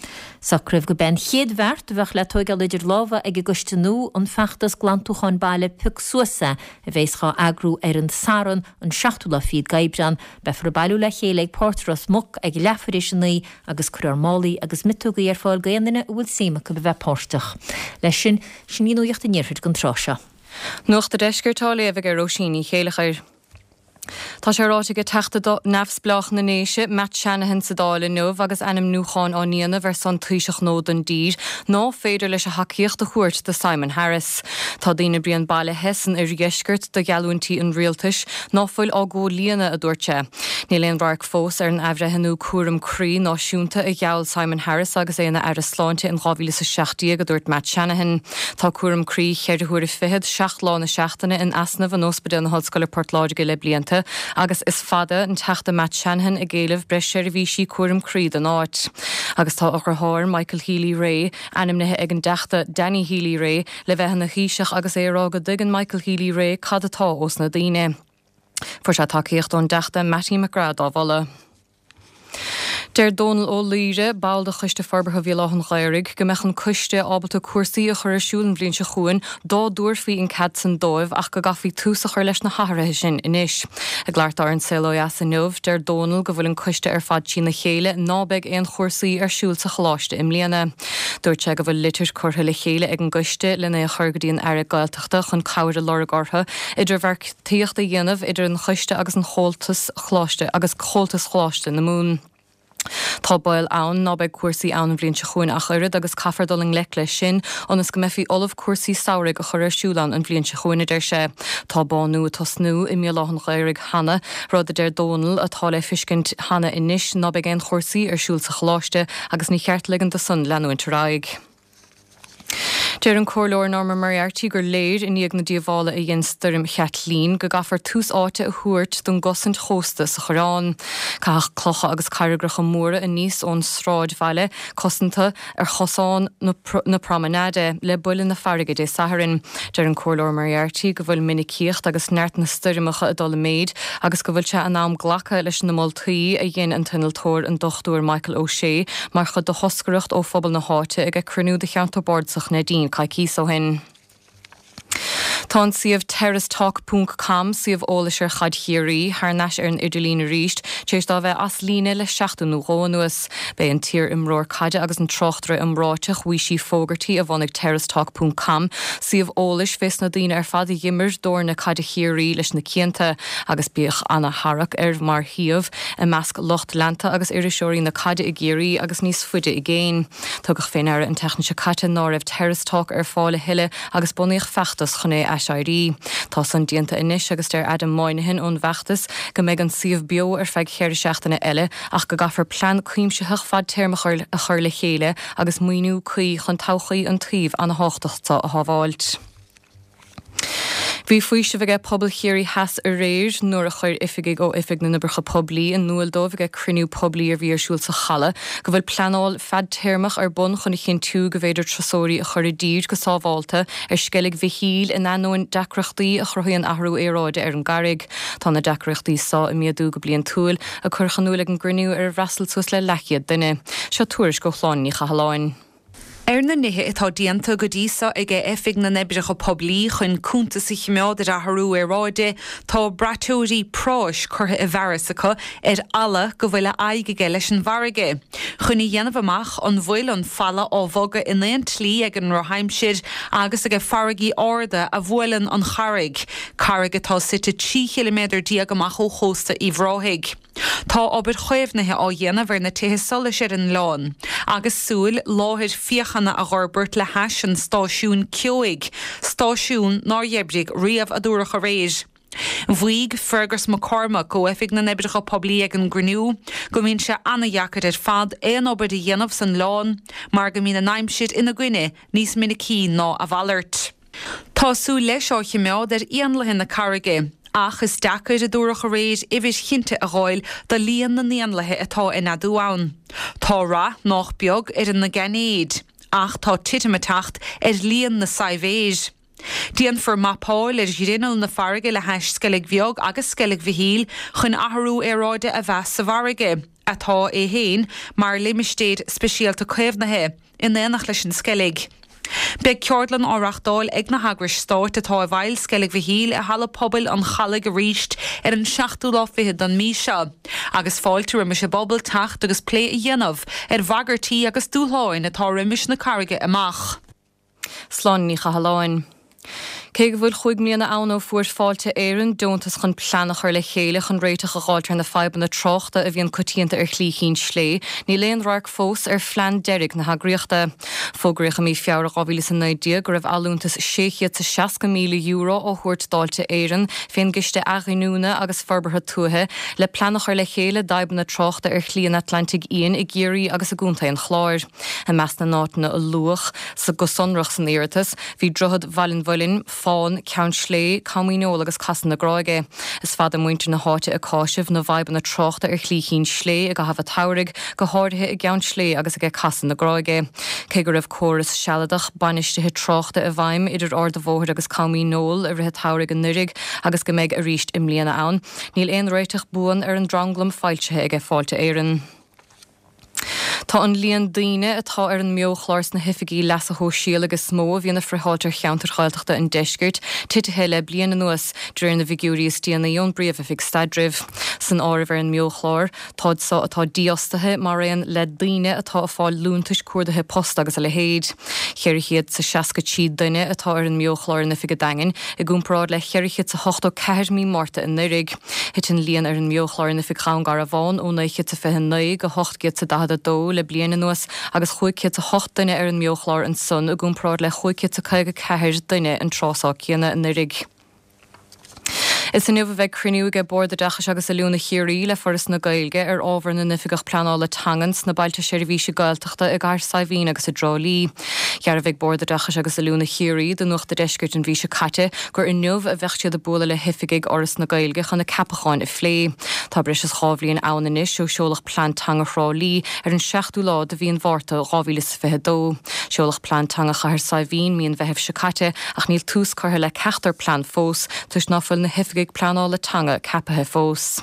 Socraíodh gurb é an chéad bheart a bheadh le tóigeáil idir lámha ag an gcoiste nua an feachtas glantúcháin baile Pioc Suas É a bheas dhá eagrú ar an Satharn an seachtú lá fichead d'Aibreán. Beifear ag bailiú le chéile ag Páirc Ros Muc ag leathuair éis a 9 agus cuirfear málaí agus miotógaí ar fáil d'aon duine a bhfuil suim acu a bheith páirteach. Leis sin, sin í Nuacht an Iarthair don tráth seo. Nuacht a' Deiscirt á léamh ag Róisín Ní Chéileachair. Tá sé ráite ag Teachta Neamhspleách na nDéise, Matt Shanahan sa Dáil inniu agus ainmniúcháin á ndéanamh ar son Taoiseach nua don dtír, ná féidir leis a thacaíocht a thabhairt do Simon Harris. Tá daoine bréan bailithe san oirdheisceart do gheallúintí an rialtais ná fuil á gcomhlíonadh, a dúirt sé. Níl aon radharc fós ar an athbhreithniú cúram croí náisiúnta a gheall Simon Harris agus é ina Aire Sláinte in 2017, a dúirt Matt Shanahan. Tá cúram croí cheithre huaire fichead, seacht lá na seachtaine in easnamh in Ospidéal na hOllscoile Port Láirge le blianta agus is fada an Teachta Matt Shanahan ag éileamh breis seirbhísí cúram croí don áit. Agus tá a dheartháir, Michael Healy-Rae, ainmnithe ag an dTeachta Danny Healy-Rae le bheith ina Thaoiseach agus é ag rá go dtuigeann Michael Healy-Rae cad atá ós na daoine. Fuair sé tacaíocht ón dTeachta Mattie McGrath dá mholadh. Deir Dónal Ó Laoire, ball de Choiste Forbartha Bhéal Átha an Ghaorthaidh, go mbeadh an coiste ábalta cúrsaí a chur ar siúl an bhliain seo chugainn dá dtabharfaí an cead san dóibh ach go gcaithfí tús a chur leis na hathruithe sin anois. Ag labhairt dó ar An Saol Ó Dheas inniu, deir Dónal go bhfuil an coiste ar fad trína chéile ná beidh aon chúrsaí ar siúl sa choláiste i mbliana. Dúirt sé go bhfuil litir curtha le chéile ag an gcoiste lena é a chur go dtí an Aire Gaeltachta chun cabhair a lorg orthu idirbheartaíocht a dhéanamh idir an choiste agus an Chomhaltas Choláiste agus Comhaltas Choláiste na Mumhan. Tá baol ann ná beidh cúrsaí ann an bhliain seo chugainn ach oiread agus caithfear dul i ngleic leis sin ionas go mbeifí ullamh cúrsaí samhraidh a chur ar siúl ann an bhliain seo chugainn, a deir sé. Tá bánú ag tosnú i mBéal Átha an Ghaorthaidh cheana, rud a deir Dónal atá le fiscint cheana anois ná beidh aon chúrsaí ar siúl sa choláiste agus ní cheart ligean do san leanúint ar aghaidh. Deir an Comhairleoir Norma Moriarty gur léir, i ndiaidh na díobhála a dhein Stoirm Chaitlín, go gcaithfear tús áite a thabhairt don gcosaint chósta sa Choireán. Caitheadh clocha agus carraigreacha móra aníos ón sráidbhaile cosanta ar chosán na Promenade le buille na farraige Dé Sathairn. Deir an Comhairleoir Moriarty go bhfuil minicíocht agus neart na stoirmeacha ag dul i méid agus go bhfuil sé in am glacadh leis na moltaí a dhein an t-innealtóir an Dr Michael O'Shea mar chuid de thoscaireacht ó phobal na háite ag cruinniú de Cheantar Bardasach Neidín coicíos ó shin. Tá an suíomh terracetalk ponc com, suíomh eolais ar Chaid Chiarraí, thar n-ais ar an idirlíon arís tar éis dó a bheith as líne le seachtain nó dhó anuas. B'é an t-iar-imreoir caide agus an tráchtaire iomráiteach Weeshie Fogarty a bhunaigh terracetalk ponc com, suíomh eolais fés na daoine ar fad a dh'imir d'fhoirne caide Chiarraí leis na cianta, agus bíodh ana-tharrac air mar shuíomh i measc lucht leanta agus iriseoirí na caide i gCiarraí agus níos faide i gcéin. Tugadh fé ndeara an tseachtain seo caite ná raibh Terrace Talk ar fáil a thuilleadh agus bunaíodh feachtas chun é a aiséirí. Tá san déanta anois agus deir Adam Moynihan ón bhfeachtas go mbeidh an suíomh beo ar feadh cheithre seachtaine eile ach go gcaithfear plean cuimsitheach fadtéarmach a chur le chéile agus maoiniú cuí chun todhchaí an tsuímh ana-thábhachtach seo a shábháilt. Bhí faoiseamh aige pobal Chiarraí Theas aréir nuair a chuir oifigigh ó Oifig na nOibreacha Poiblí in iúil dóibh aige cruinniú poiblí a bhí ar siúl sa Chaladh go bhfuil pleanáil fadtéarmach ar bun chun a chinntiú go bhféidir turasóirí a chur i dtír go sábhálta ar Sceilg Mhichíl in ainneoin deacrachtaí a chruthaíonn athrú aeráide ar an gcarraig. Tá na deacrachtaí so ag méadú go bliantúil, a cuireadh in iúil ag an gcruinniú ar ar fhreastail suas le leathchéad duine. Seo tuairisc ó Shláine Ní Chathalláin. Ar na nithe atá déanta go dtí so aige Oifig na nOibreacha Poiblí chun cuntas a chimeád ar athrú aeráide, tá braiteoirí práis curtha i bhfearas acu ar fhalla go bhfuil a aghaidh aige leis an bhfarraige, chun a dhéanamh amach an bhfuil an falla á bhogadh in aon tslí ag an ndrochaimsir agus aige farraigí arda a bhuaileann an charraig, carraig atá suite 13 chiliméadar amach ó chósta Uíbh Ráthaigh. Tá obair chaomhnaithe á dhéanamh ar na tithe solais ar an oileán, agus súil láthair féachana a dh'fhorbairt le hais an stáisiúin ceoigh, stáisiún nár dh'oibrigh riamh, a dúradh aréir. Mhaígh Fergus McCormack ó Oifig na nOibreacha Poiblí ag an gcruinniú go mbíonn sé ana-dheacair ar fad aon obair a dhéanamh san oileán mar go mbíonn an aimsir ina gcoinne níos minicí ná a mhalairt. Tá súil leis á chimeád ar éanlaithe na carraige, ach is deacair, a dúradh aréir, uimhir chinnte a dh'fháil do líon na n-éanlaithe atá ag neadú ann. Tá rath nách beag ar na gainéid, ach tá titim ag teacht ar líon na saidhbhéir. Déanfar mapáil ar ghrinneall na farraige le hais Sceilg Bheag agus Sceilg Mhichíl chun athrú aeráide a mheas sa bhfarraige, atá é féin mar limistéir speisialta caomhnaithe. in éineacht leis an Sceilg. Beidh ceardlann á reachtáil ag na heagrais stáit atá i bhfeighil Sceilg Mhichíl i Halla Pobail an Chalaidh arís ar an seachtú lá fichead don mí seo agus fáilte roimis an bpobal teacht agus plé a dhéanamh ar bhagairtí agus dúshláin atá roimis na carraige amach. Sláine Ní Chathalláin. Cé go bhfuil chúig mbliana ann ó fuair Fáilte Éireann deontas chun plean a chur le chéile chun réiteach a dh'fháilt ar na fadhbanna tráchta a bhíonn coitianta ar Shlí Chinn Slé, níl aon radharc fós ar phlean deiridh na heagraíochta. Fógraíodh i mí Feabhra 2019 go raibh allúntas €660,000 á thabhairt d'Fháilte Éireann fén gCiste Athghiniúna agus Forbartha Tuaithe le plean a chur le chéile d'fhadhbanna tráchta ar Shlí an Atlantaigh Fhiáin i gCiarraí agus i gContae an Chláir. I measc na n-áiteanna a luadh go sonrach san iarratas, bhí Droichead Bhaile an Mhuilinn, Fán, Ceann Slé, Com Dhíneol agus Casadh na Gráige. Is fada muintir na háite ag cáiseamh na bhfadhbanna tráchta ar Shlí Chinn Slé i gcaitheamh an tsamhraidh, go háirithe i gCeann Slé agus aige Casadh na Gráige. Cé go raibh córas sealadach bainistithe tráchta i bhfeidhm idir Ard an Bhóthair agus Com Dhíneol i rith an tsamhraidh anuiridh agus go mbeidh arís i mbliana ann, níl aon réiteach buan ar an dtranglam foilsithe aige Fáilte Éireann. Tá an líon daoine atá ar an mBeo-chlár sna hoifigí leasa shóisialaigh is mó a bhíonn ag friotháilt ar cheantair Ghaeltachta an deiscirt titithe le bliain anuas, de réir na bhfigiúirí is déanaí ón bPríomh-Oifig Staidrimh. San áireamh ar an mBeo-chlár, táid so atá dífhostaithe mar aon le daoine atá ag fáil liúntais cuardaithe post agus a leithéid. 463 duine atá ar an mBeo-chlár in oifig an Daingin, i gcomparáid le 484 mí Márta anuiridh. Thit an líon ar an mBeo-chlár in oifig Dhún Garbhán ó 929 go 842 le bliain anuas agus 508 duine ar an mBeo-chlár ansan i gcomparáid le 554 duine an tráth céanna anuiridh. Is inniu a bheidh cruinniú aige Bord Oideachais agus Oiliúna Chiarraí le Foras na Gaeilge ar ábhar na n-oifigeach pleanála teangan sna Bailte Seirbhíse Gaeltachta i gCathair Saidhbhín agus i dTrá Lí. Dhearbhaigh Bord Oideachais agus Oiliúna Chiarraí do Nuacht a' Deiscirt an mhí seo caite gur inniu a bheadh siad ag bualadh le hoifigigh Fhoras na Gaeilge chun na ceapacháin a phlé. Tá breis is 2 bhliain ann anois ó seoladh Plean Teanga Thrá Lí ar an 7ú lá de mhí an Mhárta 2022. Seoladh Plean Teanga Chathair Saidhbhín mí an Mheithimh seo caite ach níl tús curtha le ceachtar plean fós toisc ná fuil na hoifigigh pleanála teanga ceapaithe fós.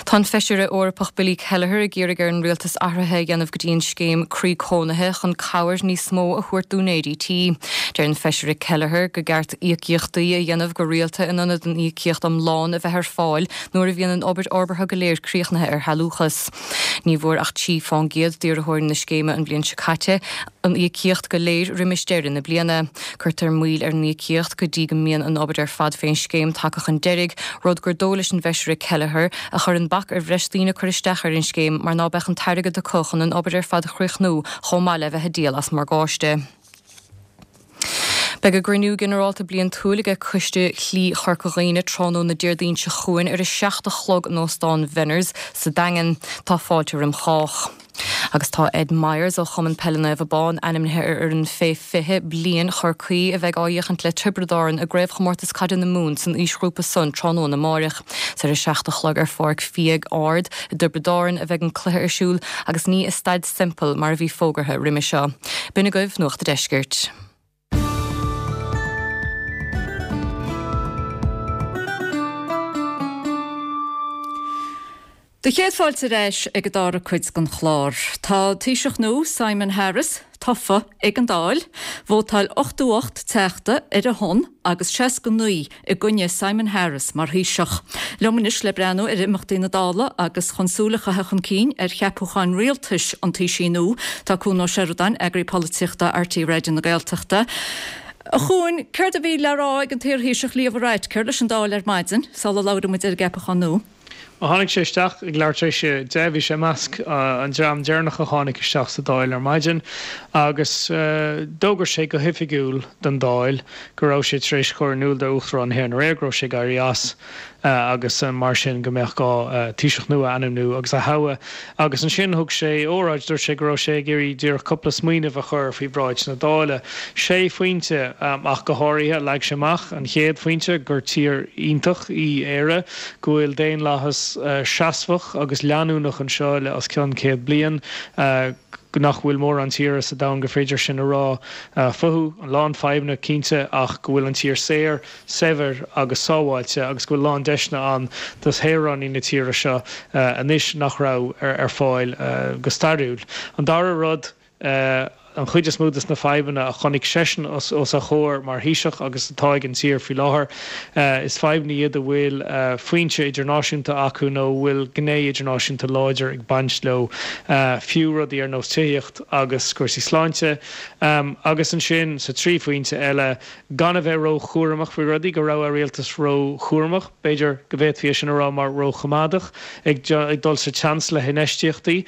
Tá an Feisire Eorpach Billy Kelleher ag iarraidh ar an Rialtas athruithe a dhéanamh go dtí an scéim Croí Cónaithe chun cabhair níos mó a thabhairt d'úinéirí tí. Deir an Feisire Kelleher go gceart íocaíochtaí a dhéanamh go rialta in ionad an íocaíocht iomlán a bheith ar fáil nuair a bhíonn an obair fhorbartha go léir críochnaithe ar shealúchas. Ní bhfuair ach 3 fán gcéad d'iarrthóirí na scéime an bhliain seo caite an íocaíocht go léir roimis deireadh na bliana. Cuirtear moill ar an íocaíocht go dtí go mbíonn an obair ar fad fén scéim tagtha chun deiridh, rud gur dóigh leis an bhFeisire Kelleher a chuireann bac ar bhreis daoine cur isteach ar an scéim mar ná beadh an t-airgead acu chun an obair ar fad a chríochnú chomh maith le bheith ag díol as morgáiste. Beidh a gcruinniú ginearálta bliantúil aige Coiste Shlí Chorca Dhuibhne tráthnóna Déardaoin seo chugainn ar a 7 a chlog in Óstán Venners sa Daingean. Tá fáilte roim chách. Agus tá Ed Myers ó Chumann Peile Naomh Abán ainmnithe ar fhoireann fé 20 bliain Chorcaí a bheidh á fhiachaint le Tiobraid Árann i gCraobhchomórtas Caide na Mumhan san aoisghrúpa san tráthnóna amáireach. Is ar a 7 a chlog ar Pháirc Fiadh Ard i dTiobraid Árann a bheidh an cluiche ar siúl agus ní i Staid Semple mar a bhí fógartha roimhe seo. B'in agaibh Nuacht a' Deiscirt. Do chéad fáilte ar ais ag an dara cuid den chlár. Tá Taoiseach nua, Simon Harris, tofa ag an Dáil. Vótáil 88 teachta ar a shon agus 69 i gcoinne Simon Harris mar Thaoiseach. Liom anois le breathnú ar imeachtaí na Dála agus chun súil a chaitheamh chun cinn ar cheapúcháin rialtais an Taoisigh nua, tá Cuan Ó Seireadáin, Eagraí Polaitíochta RTÉ Raidió na Gaeltachta. A Chuain, céard a bhí le rá ag an t-iarThaoiseach Leo Varadkar leis an Dáil ar maidin, sula labhraíonn muid ar an gceapachán nua? Ó tháinig sé isteach ag leathuair tar éis a 10, bhí sé i measc an dream deireanach a tháinig isteach sa Dáil ar maidin agus d'fhógair sé go hoifigiúil don Dáil go raibh sé tar éis cur in iúl d'Uachtarán na hÉireann aréir go raibh sé ag éirí as agus mar sin go mbeadh gá Taoiseach nua a ainmniú agus a thoghadh. Agus ansin thug sé óráid, dúirt sé go raibh sé ag iarraidh díreach cúpla smaoineamh a chur faoi bhráid na Dála. Sé phointe ach go háirithe a leag sé amach. An chéad phointe, gur tír iontach í Éire, go bhfuil daonlathas seasmhach agus leanúnach anseo le os cionn 100 bliain, nach bhfuil mórán tíortha sa domhan gur féidir sin a rá fúthu. A lán fadhbanna, cinnte, ach go bhfuil an tír saor, saibhir agus sábháilte agus go bhfuil a lán deiseanna ann do shaoránaigh na tíre seo anois nach raibh ar fáil go stairiúil. An dara rud, an chuid is mó de na fadhbanna a chonaic seisean os a chomhair mar Thaoiseach agus atá ag an tír faoi láthair, is fadhbanna iad a bhfuil foinse idirnáisiúnta acu nó a bhfuil gné idirnáisiúnta láidir ag baint leo, fiú rudaí ar nós tithíocht agus cúrsaí sláinte. Agus ansin, sa trí phointe eile, gan a bheith ró-chúramach faoi rudaí, go raibh a rialtas ró-chúramach, b'fhéidir go bhféadfaí é sin a rá mar ró-choimeádach, ag dul sa tseans le hinfheistíochtaí,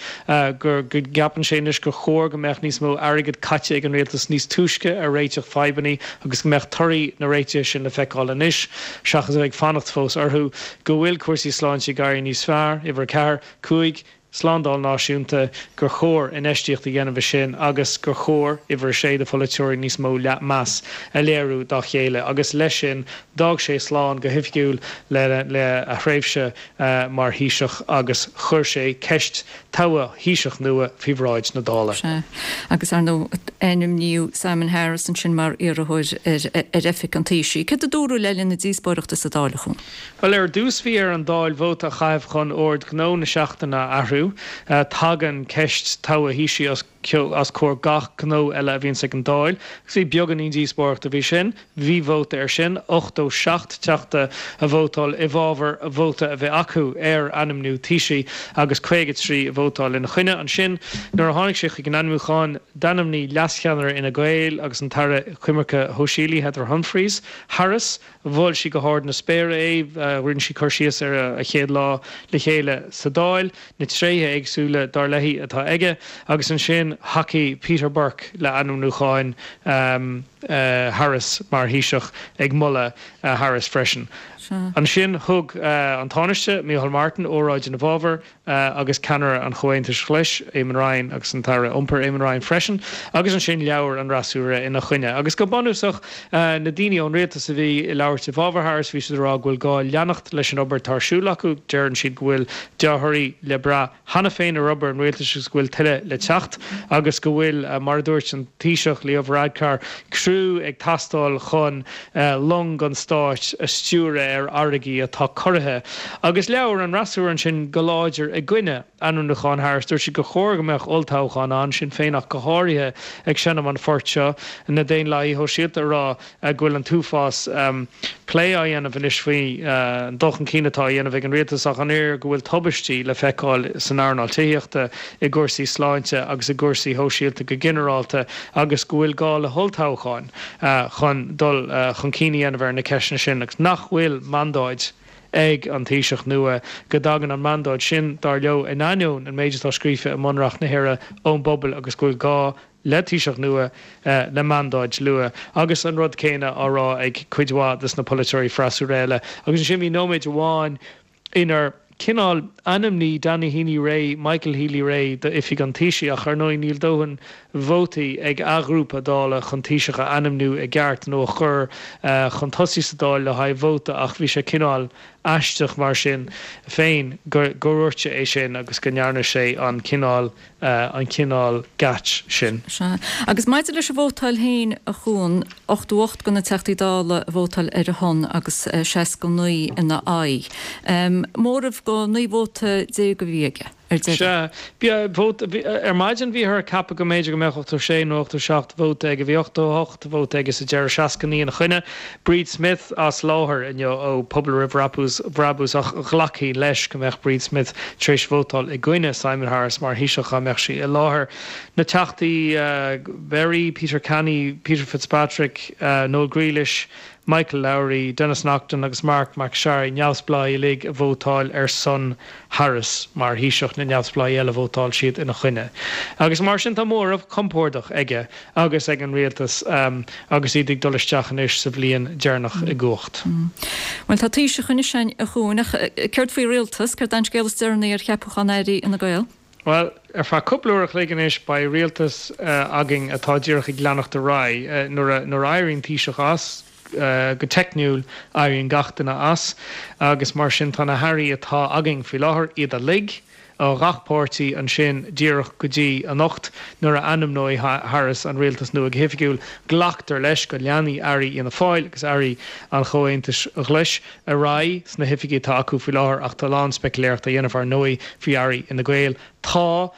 go gceapann sé anois gur chóir go mbeadh níos mó airgid caite ag an rialtas níos túisce ar réiteach fadhbanna agus go mbeadh torthaí na réitithe sin le feiceáil anois seachas a bheith ag fanacht fós orthu, go bhfuil cúrsaí sláinte ag éirí níos fearr, uimhir 4, 5. slándáil náisiúnta, gur chóir infheistíocht a dhéanamh i sin agus gur chóir, uimhir a sé, do pholaiteoirí níos mó meas a léiriú dá chéile. Agus leis sin, d'fhág sé slán go hoifigiúil le a thréimhse mar Thaoiseach agus chuir sé ceist togha Thaoiseach nua faoi bhráid na Dála. Sea, agus ar ndóigh, ainmníodh Simon Harris ansin mar iarrthóir ar oifig an Taoisigh. Céard a dúradh le linn na díospóireachta sa Dáil, a Chuain? Bhuel, ar dtús bhí ar an Dáil vóta a chaitheamh chun ord gnó na seachtaine a athrú. Tagann ceist togha Thaoisigh os comhair gach gnó eile a bhíonns ag an Dáil. Agus bhí beagáinín díospóireachta faoi sin. Bhí vóta air sin, 87 teachta a vótáil i bhfabhar vóta a bheith acu ar ainmniú Taoisigh agus 53 a vótáil ina choinne. Ansin, nuair a tháinig sé chuig an ainmniúchán, d'ainmnigh leascheannaire Fhine Gael agus an tAire Coimirce Shóisialaí, Heather Humphreys, Harris, Mhol sí go hard na spéire é, rinne sí cur síos ar a chéad lá le chéile sa Dáil, na tréithe éagsúla, dar léi, atá aige, agus ansin thacaigh Peter Burke le ainmniúcháin. Harris mar Thaoiseach ag moladh Harris freisin. Ansin thug an Tánaiste, Micheál Martin, óráid ina bhfabhar agus ceannaire an Chomhaontais Ghlais, Eamon Ryan agus an tAire Iompair, Eamon Ryan freisin agus ansin labhair an fhreasúra ina choinne. Agus go bunúsach, na daoine ón rialtas a bhí ag labhairt i bhfabhar Harris, bhí siad ag rá go bhfuil gá leanacht leis an obair atá ar siúl acu. Deireann siad go bhfuil dea-thorthaí le brath cheana féin ar obair an rialtais agus go bhfuil tuilleadh le teacht agus go bhfuil, mar a dúirt an Taoiseach Leo Varadkar, criú ag teastáil chun long an stáit a stiúradh ar fharraigí atá corraithe. Agus labhair an fhreasúra ansin go láidir i gcoinne ainmniúchán Harris. Dúirt siad gur chóir go mbeadh olltoghchán ann, Sinn Féin ach go háirithe ag seinm an phoirt seo, na Daonlathaithe Shóisialta ag rá go bhfuil an t-uafás plé á dhéanamh anois faoi an dul chun cinn atá á dhéanamh ag an rialtas ach an oiread go bhfuil tubaistí le feiceáil san earnáil tithíochta, i gcúrsaí sláinte agus i gcúrsaí shóisialta go ginearálta agus go bhfuil gá le holltoghcháin chun dul chun cinn a dhéanamh ar na ceisteanna sin agus nach bhfuil mandáid ag an Taoiseach nua, go dtagann an mandáid sin, dar leo, in ainneoin an méid atá scríofa i mBunreacht na hÉireann, ón bpobal agus go bhfuil gá le Taoiseach nua le mandáid nua agus an rud céanna á rá ag cuid mhaith des na polaiteoirí freasúra eile. Agus ansin bhí nóiméid amháin inar cineál ainmnigh Danny Healy-Rae Michael Healy-Rae d'oifig an Taoisigh ach ar ndóigh níl dóthain vótaí ag a ghrúpa Dála chun Taoiseach a ainmniú i gceart nó a chur chun tosaigh sa Dáil le haghaidh vóta ach bhí sé cineál aisteach mar sin féin go ndúirt sé é sin agus go ndearna sé an cineál an cineál geit sin. Sea. Agus maidir leis an vótáil féin, a Chuan, 88 de na Teachtaí Dála a vótáil ar a shon agus 69 ina aghaidh. Móramh de 19 vóta a bhí aige ar deireadh. Sea. Bhí vóta, ar maidin bhíothar ag ceapadh go mb'fhéidir go mbeadh 86 nó 87 vóta aige. Bhí 88 vóta aige sa deireadh, 69 ina choinne. Bríd Smith as láthair inniu ó Pobal Roimh Bhrabús ach ghlacfaí leis go mbeadh Bríd Smith tar éis vótáil i gcoinne Simon Harris mar Thaoiseach dá mbeadh sí i láthair. Na Teachtaí Berry, Peter Canny, Peter Fitzpatrick, Noel Grealish, Michael Lowry, Denis Naughten agus Marc MacSharry, neamhspleáigh uilig a vótáil ar son Harris mar Thaoiseach, na neamhspleáigh eile vótáil siad ina choinne. Agus mar sin tá móramh compordach aige agus ag an rialtas agus iad ag dul isteach anois sa bhliain deireanach i gcumhacht. Bhuel, tá Taoiseach anois againn, a Chuain, ach céard faoi rialtas? Céard é an scéal is deireanaí ar cheapúchán airí Fhine Gael? Bhuel, ar feadh cúpla uair a chloig anois beidh rialtas againn atá díreach ag leanacht ar aghaidh. Nuair a éiríonn Taoiseach as, go teicniúil, éiríonn gach duine as agus mar sin tá na hairí atá againn faoi láthair, iad uilig, ó ghach páirtí ansin díreach go dtí anocht nuair a ainmneoidh Harris an rialtas nua go hoifigiúil. Glactar leis go leanfaidh airí Fhianna Fáil agus airí an Chomhaontais Ghlais ar aghaidh sna hoifigí atá acu faoi láthair ach tá a lán speicealaíochta á dhéanamh ar ndóigh faoi airí Fhine Gael. Tá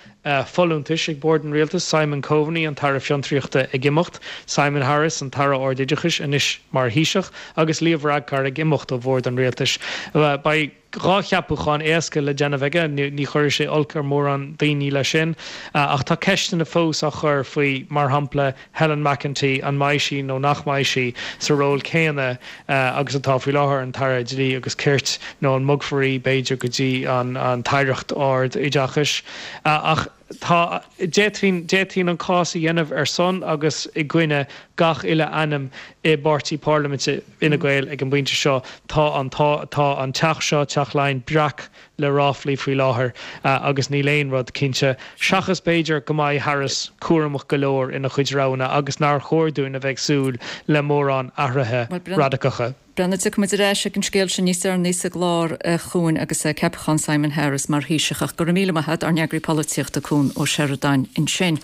folúntais ag bord an rialtais, Simon Coveney, an tAire Fiontraíochta ag imeacht, Simon Harris, an tAire Ardoideachais, anois mar Thaoiseach agus Leo Varadkar ag imeacht ó bhord an rialtais. Beidh. 2 cheapúchán éasca le déanamh aige, ní chuirfidh sé olc ar mhórán daoine leis sin. Ach tá ceisteanna fós á chur faoi, mar shampla, Helen McEntee, an mbeidh sí nó nach mbeidh sí sa ról céanna agus atá faoi láthair, an tAire Dlí agus Cirt, nó an mbogfar í, b'fhéidir, go dtí an tAireacht Ard-Oideachais. Ach tá, d'fhéadfainn, d'fhéadfainn an cás a dhéanamh ar son agus i gcoinne gach uile ainm i bpáirtí parlaiminte Fhine Gael ag an bpointe seo. Tá an, tá, tá an teach seo, Teach Laighean, breac le ráflaí faoi láthair agus níl aon rud cinnte, seachas b'fhéidir go mbeidh Harris cúramach go leor ina chuid roghanna agus nár chóir dúinn a bheith ag súil le mórán athruithe radacacha. Breandán, tiocfaidh muid ar ais ag an scéal sin níos deireanaí sa gclár, a Chuain, agus ceapachán Simon Harris mar Thaoiseach. Ach go raibh míle maith a't, ár n-eagraí polaitíochta, Cuan Ó Seireadáin ansin.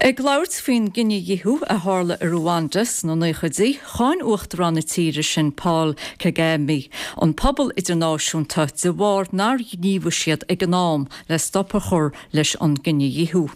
Ag labhairt faoin gcinedhíothú a tharla i Ruanda sna naochaidí, cháin Uachtarán na tíre sin Paul Kagame an pobal idirnáisiúnta de bharr nár ghníomhaigh siad ag an am le stop a chur leis an gcinedhíothú.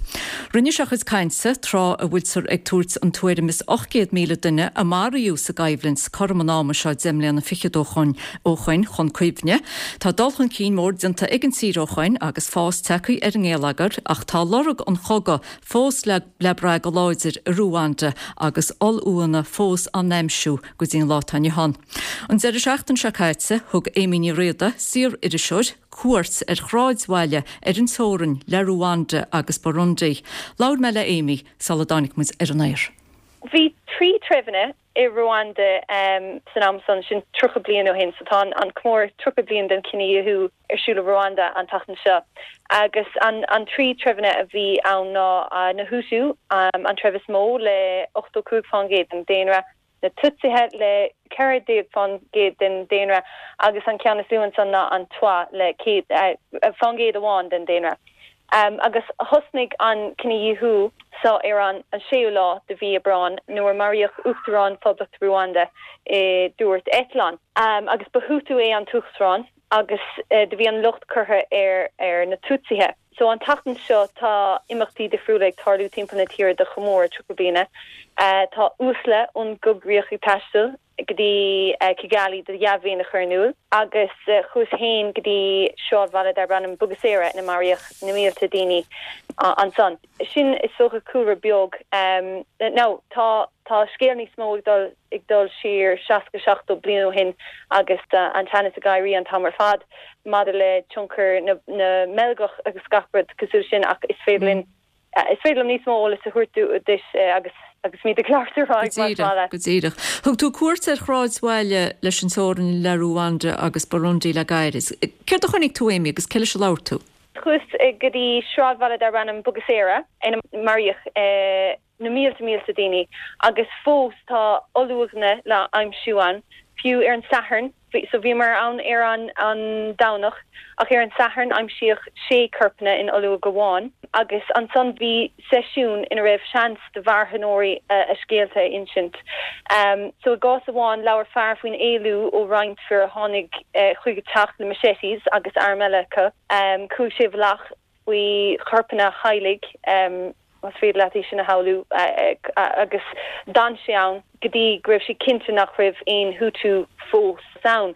Rinne sé a chuid cainte tráth a bhfuiltear ag tabhairt an tuairim is 800,000 duine a maraíodh sa gcoimhlint cothrom an ama seo 10 mbliana fichead ó shoin chun cuimhne. Tá dul chun cinn mór déanta ag an tír ó shoin agus fás tagtha ar an ngeilleagar ach tá lorg an chogaidh fós le brath go láidir i Ruanda agus ollfhuathanna fós á n-aimsiú go dtí an lá atá inniu ann. An deireadh seachtaine seo caite, thug Amy Ní Riada, saor-iriseoir, cuairt ar shráidbhaile ar an teorainn le Ruanda agus Burundi. Labhair mé le Amy sula dtáinig muid ar an aer. Bhí 3 treibheanna i Ruanda san am san, sin 30 bliain ó shin, so tá an comóradh 30 bliain den chinedhíothú ar siúl i Ruanda an tseachtain seo. Agus an 3 treibheanna a bhí ann ná na Hutu, an treibh is mó le 85% den daonra, na Tutsithe le 14% den daonra agus an ceann is lú ansan ná an Twa le 100% amháin den daonra. Agus thosnaigh an cinedhíothú so ar an séú lá de mhí Aibreáin nuair a maraíodh Uachtarán Phoblacht Ruanda i dtuairt eitleáin. Agus ba Hutu é an tUachtarán agus do bhí an locht curtha ar na Tutsithe. So an tseachtain seo tá imeachtaí difriúla ag tarlú timpeall na tíre do chomóradh 30 bliana. Tá uaisle ón gcoigríoch ag taisteal go dtí Kigali do dhea-mhéin a chur in iúl agus chuas féin go dtí sráidbhaile darb ainm Bugesera ina maraíodh na mílte daoine ansan. Sin is dócha cúlra beag. Now tá tá scéal níos mó ag dul ag dul siar 60, 70 bliain ó shin agus an teannas ag éirí an t-am ar fad maidir le tionchar na na mBeilgeach agus gach rud cosúil sin ach is féidir linn Is féidir liom níos mó eolais a thabhairt duit agus agus muid ag labhairt ar aghaidh, más maith leat. Go díreach. Thug tú cuairt ar shráidbhaile leis an teorainn le Ruanda agus Burundi le gairid. Céard a chonaic tú, Amy, agus cé leis a labhair tú? Chuas go dtí sráidbhaile darb ainm Bugesera ina maraíodh na mílte mílte daoine agus fós tá olluaigheanna le aimsiú ann. Fiú ar an Satharn, So bhíomar ann ar an an Domhnach ach ar an Satharn aimsíodh sé corpanna in olluaigh amháin agus ansan bhí seisiún ina raibh seans do mharthanóirí a scéalta a insint. So i gcás amháin labhair fear faoin éalú ó roinnt fir a tháinig chuig a teach le machetes agus airm eile acu. Chuaigh sé i bhfolach faoi chorpanna a theaghlaigh, más féidir leat é sin a shamhlú, agus d'fhan sé ann go dtí go raibh sé cinnte nach raibh aon Hutu fós ann.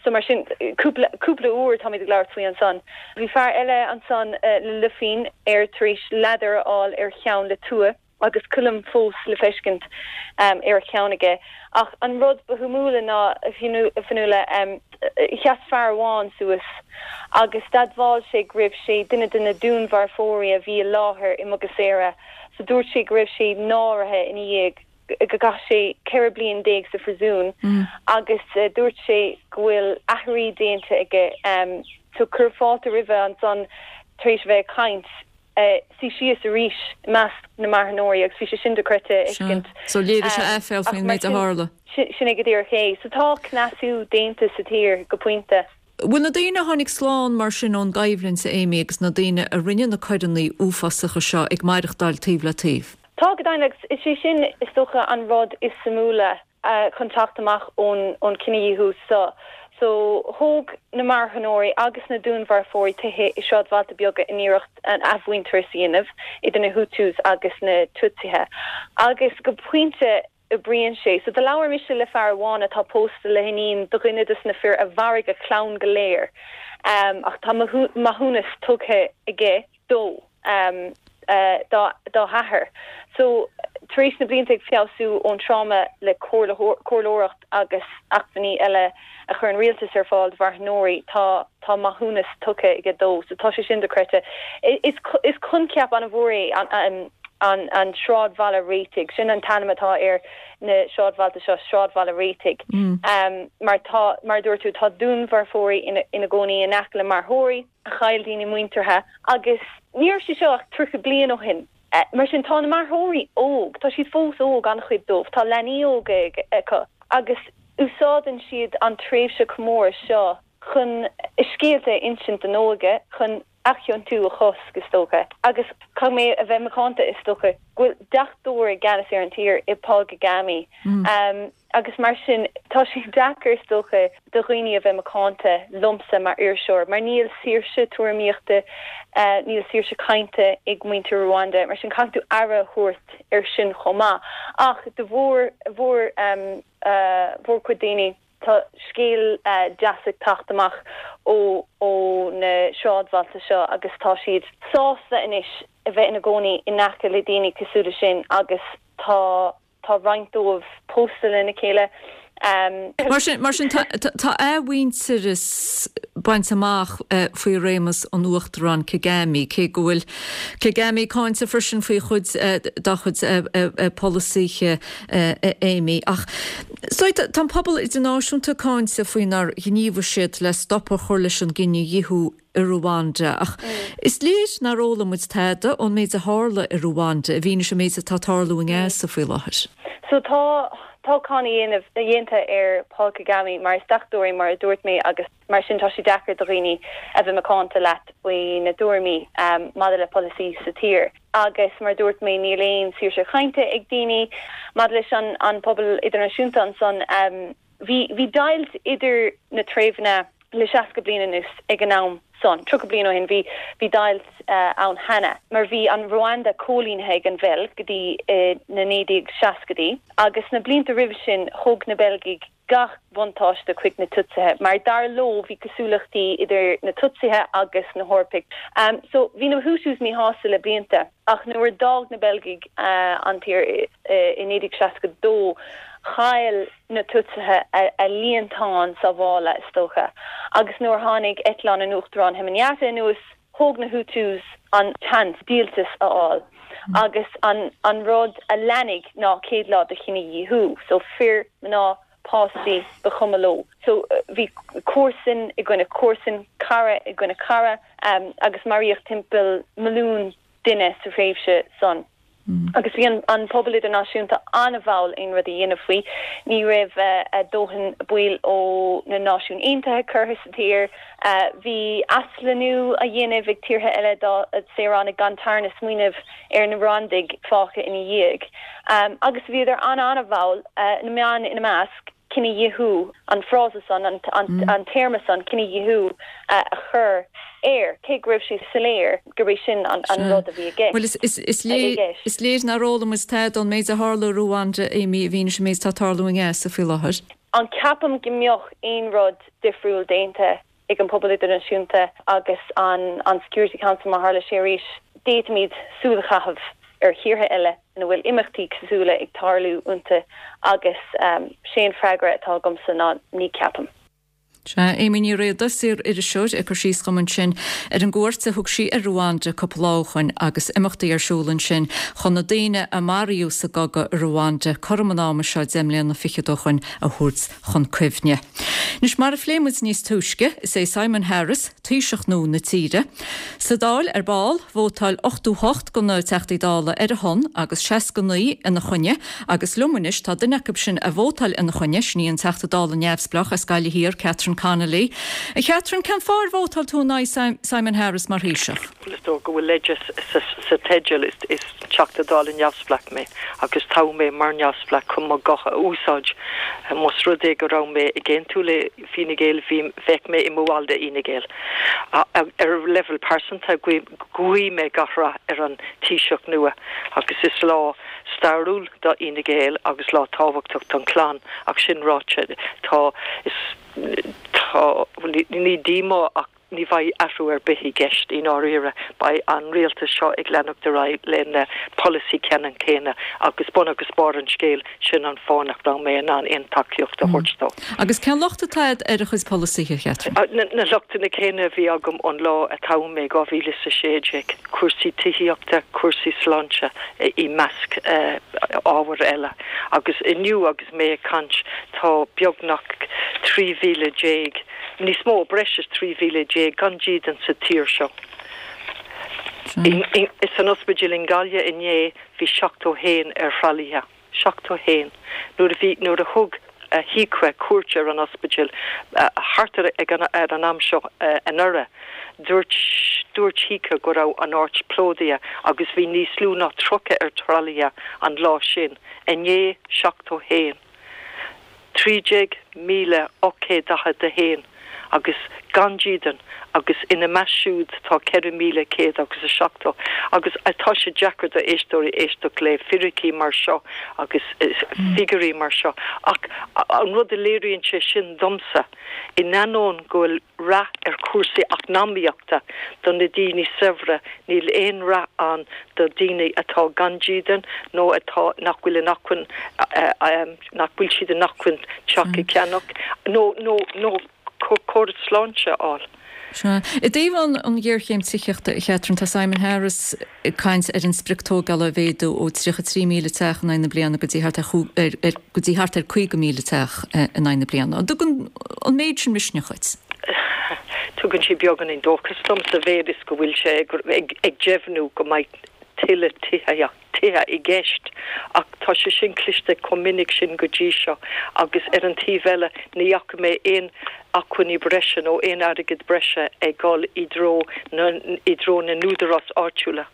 So mar sin, cúpla, cúpla uair táimid ag labhairt faoi ansan. Bhí fear eile ansan le luifín air tar éis ladar a fháil ar a cheann le tua. agus coilm fós le feiscint ar a cheann aige. Ach an rud ba shuimiúla ná, a Fionnuala, sheas fear amháin suas agus d'admháil sé go raibh sé duine de na dúnmharfóirí a bhí i láthair i mBugesera. So dúirt sé go raibh sé náirithe ina dhiaidh go gcaith sé 14 bliain sa phriosún agus dúirt sé go bhfuil aithrí déanta aige. So cuireadh fáilte roimhe ansan tar éis a bheith ag caint. suí síos arís i measc na marthanóirí agus bhí sé sin dochreidte a fheiscint. So léirigh sé aiféal faoin méid a tharla. Sin é go díreach é. So tá cneasú déanta sa tír go pointe. Bhfuil na daoine a tháinig slán mar sin ón gcoimhlint, a Amy, agus na daoine a rinne na coireanna uafásacha seo ag maireachtáil taobh le taobh? Tá go deimhin agus is é sin is dócha an rud is suimiúla. chun teacht amach ón chinedhíothú seo. So, thóg na marthanóirí agus na dúnmharfóirí tithe i sráidbhailte beaga in iarracht an athmhuintearas a dhéanamh idir na Hutus agus na Tutsithe. Agus go pointe oibríonn sé. So, do labhair mise le fear amháin atá pósta le hiníon do dhuine des na fir a mharaigh a chlann go léir. Ach tá maithiúnas tugtha aige. dó, dá hathair. So, tar éis na blianta ag feabhsú ón tráma le comhairleoireacht agus acmhainní eile a chuir an rialtas ar fáil do mharthanóirí, tá tá maithiúnas tugtha aige dó. So, tá sé sin dochreidte. Is is coincheap an-mhór é an an an sráidbhaile réitigh. Sin an t-ainm atá ar na sráidbhailte seo, sráidbhaile réitigh. Mar tá, mar a dúirt tú, tá dúnmharfóirí ina ina gcónaí in aice le marthóirí. a chaill daoine muinteartha agus ní raibh sé seo ach 30 bliain ó shin. Mar sin tá na marthóirí óg, tá siad fós óg, an-chuid dóibh, tá leanaí óga acu agus úsáideann siad an tréimhse comóradh seo chun a scéalta a insint don óige, chun athchiontú a chosc, is dócha. Agus caithfidh mé a bheith macánta, is dócha, go bhfuil deachtóir i gceannas ar an tír i Paul Kagame. Agus mar sin, tá sé deacair, is dócha, do dhaoine a bheith macánta liomsa mar iriseoir, mar níl saoirse tuairimíochta, níl saoirse cainte ag muintir Rwanda, mar sin caithfidh tú aire a thabhairt air sin chomh maith. Ach do mhór, mhór, mhórchuid daoine, tá scéal deas ag teacht amach ó, ó na sráidbhailte seo agus tá siad sásta anois a bheith ina gcónaí in aice le daoine cosúil leis sin agus tá. Tá roinnt dóibh pósta lena chéile. Mar sin, mar sin tá athmhuintearas bainte amach faoi réimeas an Uachtaráin Kagame, cé go bhfuil Kagame cáinte freisin faoi chuid dá chuid polasaithe, Amy. Ach tá an pobal idirnáisiúnta cáinte faoi nár ghníomhaigh siad le stop a chur leis an gcinedhíothú i Ruanda. Ach is léir nár fhoghlaim muid tada ón méid a tharla i Ruanda i bhfianaise an méid atá ag tarlú i nGaza faoi láthair. So tá tá cáineadh déanta ar Paul Kagame mar is deachtóir é mar a dúirt mé agus mar sin tá sé deacair do dhaoine a bheith macánta leat faoi na tuairimí maidir le polasaí sa tír. Agus mar a dúirt mé níl aon saoirse chainte ag daoine. Maidir leis an pobal idirnáisiúnta ansan bhí bhí deighilt idir na treibheanna le 60 bliain anuas ag an am san, 30 bliain ó shin bhí bhí deighilt ann cheana mar bhí an Rwanda coilínithe ag an Bheilg go dtí na 1960idí agus sna blianta roimhe sin thug na Beilgigh gach buntáiste chuig na Tutsithe mar dar leo bhí cosúlachtaí idir na Tutsithe agus na hEorpaigh. So bhí na Hutus míshásta le blianta ach nuair a d'fhág na Beilgigh an tír i 1962 chaill na Tutsithe a líontán sábhála, is dócha, agus nuair a tháinig eitleán an Uachtaráin Hemanyata anuas, thóg na Hutus an tseans díoltas a fháil agus an an rud a leanfaidh ná 100 lá de chinedhíothú. So fir, mná, páistí, ba chuma leo. So bhí comharsan i gcoinne comharsan, cara i gcoinne cara agus maraíodh timpeall milliún duine sa thréimhse san. Agus bhí an pobal idirnáisiúnta an-mhall aon rud a dhéanamh faoi. Ní raibh a dóthain baill ó na Náisiúin Aontaithe curtha sa tír. Bhí aslonnú á dhéanamh ag tíortha eile dá saoránaigh gan tarna smaoineamh ar na Rwandaigh fágtha ina dhiaidh. Agus bhíodar an-an-mhall, na meáin ina measc. cinedhíothú, an frása san, an téarma san, cinedhíothú, a chur air, cé go raibh sé soiléir gurb é sin an rud a bhí i gceist. Bhuel, is léir nár fhoghlaim muid tada ón méid a tharla i Ruanda, Amy, i bhfianaise an méid atá ag tarlú i nGaza faoi láthair. An ceapaim go mbeadh aon rud difriúil déanta ag an pobal idirnáisiúnta agus an Security Council má tharla sé arís. D'fhéadfaimid súil a chaitheamh ar thíortha eile ina bhfuil imeachtaí cosúla ag tarlú iontu agus sé an freagra atá agamsa ná ní ceapaim. Sea, Amy Ní Riada, saor-iriseoir, ag cur síos dhom ansin ar an gcuairt a thug sí ar Rwanda cúpla lá ó shoin agus imeachtaí ar siúl ansin chun na daoine a maraíodh sa gcogadh i Rwanda cothrom an ama seo deich mbliana fichead ó shoin a thabhairt chun cuimhne. Anois, mar a phléigh muid níos túisce, is é Simon Harris Taoiseach nua na tíre. Sa Dáil ar ball, vótáil 88 de na Teachtaí Dála ar a shon agus 69 ina choinne agus liom anois tá duine acu sin a vótáil ina choinne, sin í an Teachta Dála neamhspleách as Gaillimh Thiar, Catherine Connolly. A Chatherine, cén fáth ar vótáil tú in aghaidh Simon Harris mar Thaoiseach? Bhuel, is dóigh go bhfuil leide sa teideal, is Teachta Dála neamhspleách mé agus toghadh mé mar neamhspleách chun mo ghuth a úsáid. Más rud é go raibh mé ag aontú le Fine Gael, bhí, bheadh mé i mo bhall de Fhine Gael. Ar leibhéal pearsanta, guím mé gach rath ar an Taoiseach nua agus is lá stairiúil do Fhine Gael agus lá tábhachtach don chlann ach sin ráite, tá, is, tá, ní díomá ach Ní bheidh athrú ar bith i gceist i ndáiríre. Beidh an rialtas seo ag leanacht ar aghaidh lena polasaí ceannann céanna agus bun agus barr an scéil, sin an fáth nach raibh mé in ann aon tacaíocht a thabhairt dó. Agus cén locht atá agat ar a chuid polasaithe, a Chatherine? Na lochtanna céanna a bhí agam ón lá a toghadh mé, 2016, cúrsaí tithíochta, cúrsaí sláinte i measc ábhair eile. Agus inniu agus mé ag caint tá beagnach 13,000, níos mó, breis is 13,000 gan dídean sa tír seo. San ospidéal i nGaillimh inné bhí 71 ar thralaithe. 71. Nuair a bhí, nuair a thug Taoiseach cuairt ar an ospidéal thart ar ag an ar an am seo anuraidh, dúirt dúirt Taoiseach go raibh an áit plódaithe agus bhí níos lú ná 30 ar thralaithe an lá sin. Inné 71. 13,841. agus gan dídean agus ina measc siúd tá 4,100 agus 70 agus tá sé deacair do éisteoirí éisteacht le fíricí mar seo agus figiúirí mar seo ach an rud a léiríonn sé sin domsa in ainneoin go bhfuil rath ar chúrsaí eacnamaíochta do na daoine saibhre, níl aon rath ann do daoine atá gan dídean nó atá, nach bhfuil in acmhainn, nach bhfuil siad in acmhainn teach a cheannach nó, nó, nó córas sláinte a fháil. Sea. I dtaobh an ghéarchéim tithíochta, a Chatherine, tá Simon Harris ag caint ar an sprioc tógála a mhéadú ó 33,000 teach in aghaidh na bliana go dtí thart ar go dtí thart ar 50,000 teach in aghaidh na bliana. An dtugann an méid sin misneach dhuit? Tugann sé beagáinín dóchas dom sa mhéad is go bhfuil sé ag deimhniú go mbeidh tuilleadh tithíochta tithe i gceist ach tá sé sin cliste chomh minic sin go dtí seo agus ar an taobh eile ní fhaca mé aon acmhainní breise nó aon airgead breise ag dul i dtreo na i dtreo na n-údarás áitiúla.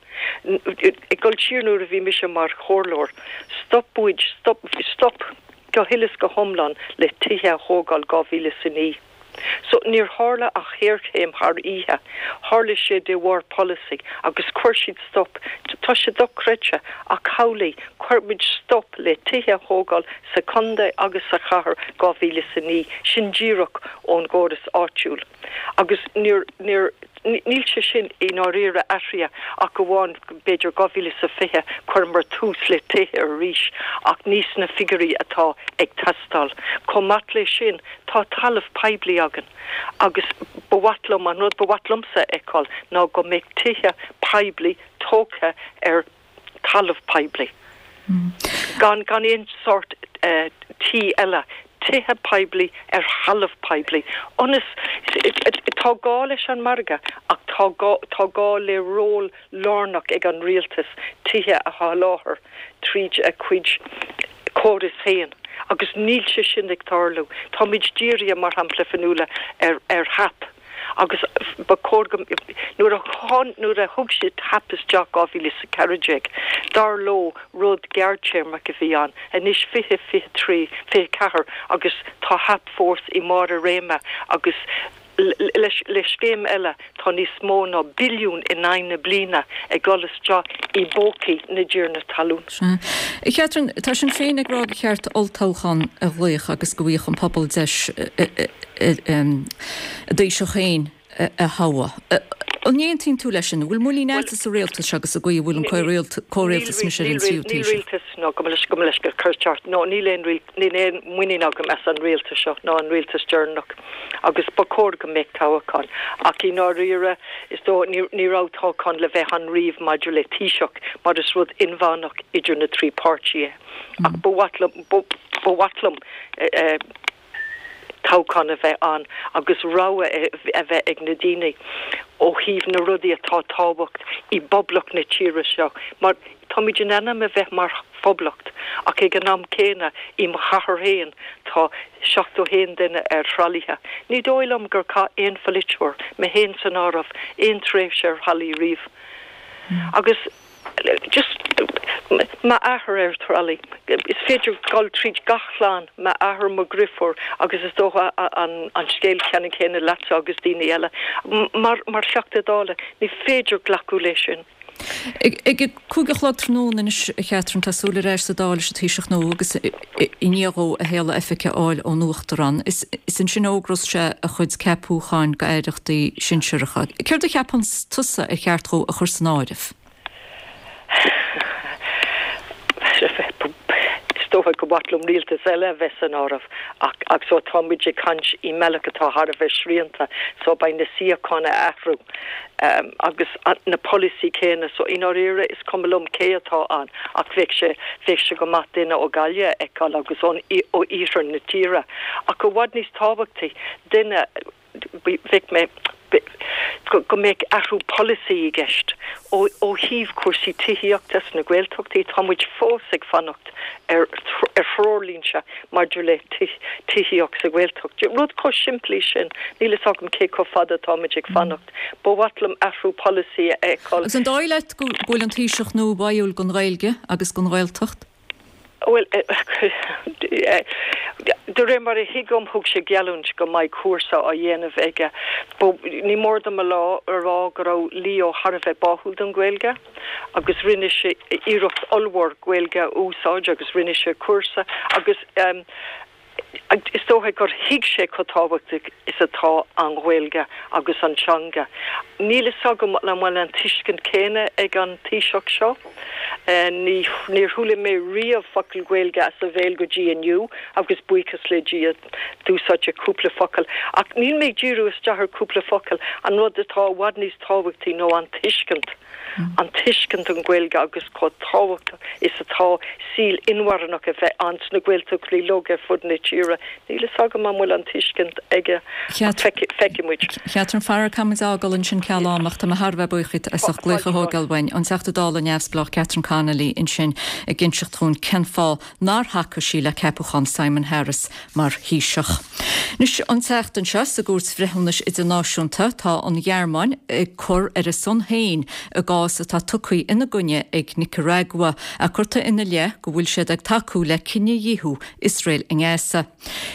Ag dul siar nuair a bhí mise mar chomhairleoir, stop muid, stop, stop go huile is go hiomlán le tithe a thógáil 2009. So, níor tharla an ghéarchéim thar oíche, tharla sé de bharr polasaí agus chuir siad stop, tá sé dochreidte ach amhlaidh, chuir muid stop le tithe a thógáil sa chontae agus sa chathair 2009, sin díreach ón gcóras áitiúil agus níor, níor, níl sé sin i ndáiríre athraithe ach amháin b'fhéidir 2020 chuireamar tús le tithe arís ach ní sna figiúirí atá ag teastáil. Chomh maith le sin, tá talamh poiblí againn agus ba mhaith liom, an rud ba mhaith liomsa a fheiceáil ná go mbeadh tithe poiblí tógtha ar talamh poiblí, gan gan aon sórt tí eile, tithe poiblí ar thalamh poiblí, ionas, tá gá leis an margadh ach tá gá, tá gá le ról lárnach ag an rialtas tithe a sholáthar tríd a chuid córas féin agus níl sé sin ag tarlú. Táimid dírithe, mar shampla, Fionnuala, ar ar HAP. Agus ba chóir go, nuair a nuair a thug siad HAP isteach 2014, dar leo rud gearrtéarmach a bhí ann. Anois 2023, 24 agus tá HAP fós i mbarr a réime agus leis le scéim eile tá níos mó ná billiún in aghaidh na bliana ag dul isteach i bpócaí na dtiarnaí talún. Sea. A Chatherine, tá Sinn Féin ag rá gur cheart olltoghchán a ghlaoch agus go bhfaigheadh an pobal deis a dTaoiseach féin a thoghadh. An n-aontaíonn tú leis sin? An bhfuil muinín agatsa sa rialtas seo agus sa gcaoi a bhfuil an comhrialtas anois ar an tríú Taoiseach? Níl rialtas, nó gabh mo leithscéal, cur ceart, nó níl aon níl aon muinín agam as an rialtas seo ná an rialtas deireanach agus ba chóir go mbeadh toghchán. Ach i ndáiríre, is dóigh, ní ní raibh toghchán le bheith ann riamh maidir le Taoiseach mar is rud inmheánach idir na trí páirtí é. Ach ba mhaith liom, ba mhaith liom, toghchán a bheith ann agus rogha a bheith ag na daoine ó thaobh na rudaí atá tábhacht i bpoblacht na tíre seo mar táimid in ainm a bheith mar phoblacht ach ag an am céanna i mo chathair féin tá 71 duine ar thralaithe. Ní dóigh liom gur chaith aon pholaiteoir, mé féin san áireamh, aon tréimhse ar thralaí riamh agus. Just m'athair ar tralaí. Is féidir dul tríd gach clann, m'athair, mo dhriofúr agus is dócha an scéal ceannann céanna leatsa agus daoine eile. Mar mar Theachta Dála, ní féidir glacadh leis sin. Ag a 5 a chlog tráthnóna anois, a Chatherine, tá súil ar ais sa Dáil leis an Taoiseach nua agus i ndiaidh dhó a shéala oifige a fháil ón Uachtarán. Is ansin a fhógrós sé a chuid ceapúcháin d'aireachtaí sinsearacha. Céard a cheapann tusa ar cheart dhó a chur san áireamh? Is dócha go mhaith liom rialtas eile a bheith san áireamh ach ach so tá muid ag caint i mbealach atá thar a bheith srianta so beidh na suíocháin a athrú agus na polasaí céanna so i ndáiríre is cuma liom cé atá ann ach bheadh sé bheadh sé go maith duine ó Ghaillimh a fheiceáil agus ón ó iarthar na tíre ach i bhfad níos tábhachtaí duine bheadh mé go mbeadh athrú polasaí i gceist ó thaobh cúrsaí tithíochta sna Gaeltachtaí. Tá muid fós ag fanacht ar threoirlínte maidir le tithíocht sa Ghaeltacht. Rud chomh simplí sin, níl fhios agam cé chomh fada atáimid ag fanacht. Ba mhaith liom athrú polasaí a fheiceáil. Agus an dóigh leat go bhfuil an Taoiseach nua báúil don Ghaeilge agus don Ghaeltacht? Bhuel. De réir mar a thuigim, thug sé geallúint go mbeidh cúrsa á dhéanamh aige. Ní mór dom a rá go raibh Leo thar a bheith báúil don Ghaeilge agus rinne sé iarracht ollmhór Gaeilge a úsáid agus rinne sé cúrsa agus is dócha gur thuig sé chomh tábhachtach is atá an Ghaeilge agus an teanga. Níl fhios agam an bhfuil an tuiscint céanna ag an Taoiseach seo. Ní, níor chuala mé riamh focal Gaeilge as a bhéal go dtí inniu agus buíochas le Dia d'úsáid sé cúpla focal. Ach níl mé ag díriú isteach ar cúpla focal, an rud atá i bhfad níos tábhachtaí ná an tuiscint. an tuiscint don Ghaeilge agus chomh tábhachtach is atá saol inmharthanach a bheith ann sna Gaeltachtaí uilig ar fud na tíre. Níl fhios agam an bhfuil an tuiscint aige ach feicfidh muid. Catherine, faraor caithfidh muid fhágáil ansin ceal ama ach tá mé thar a bheith buíoch díot as ucht glaoch a thógáil uainn. An Teachta Dála neamhspleách Catherine Connolly ansin ag inseacht dhúinn cén fáth nár thacaigh sí le ceapachán Simon Harris mar Thaoiseach. Anois, an tseachtain seo, sa gCúirt Bhreithiúnais Idirnáisiúnta, tá an Ghearmáin ag cur ar a son féin i gcás atá tugtha ina gcoinne ag Nicearagua, ach curtha ina leith go bhfuil siad ag tacú le cinedhíothú Iosrael i nGaza.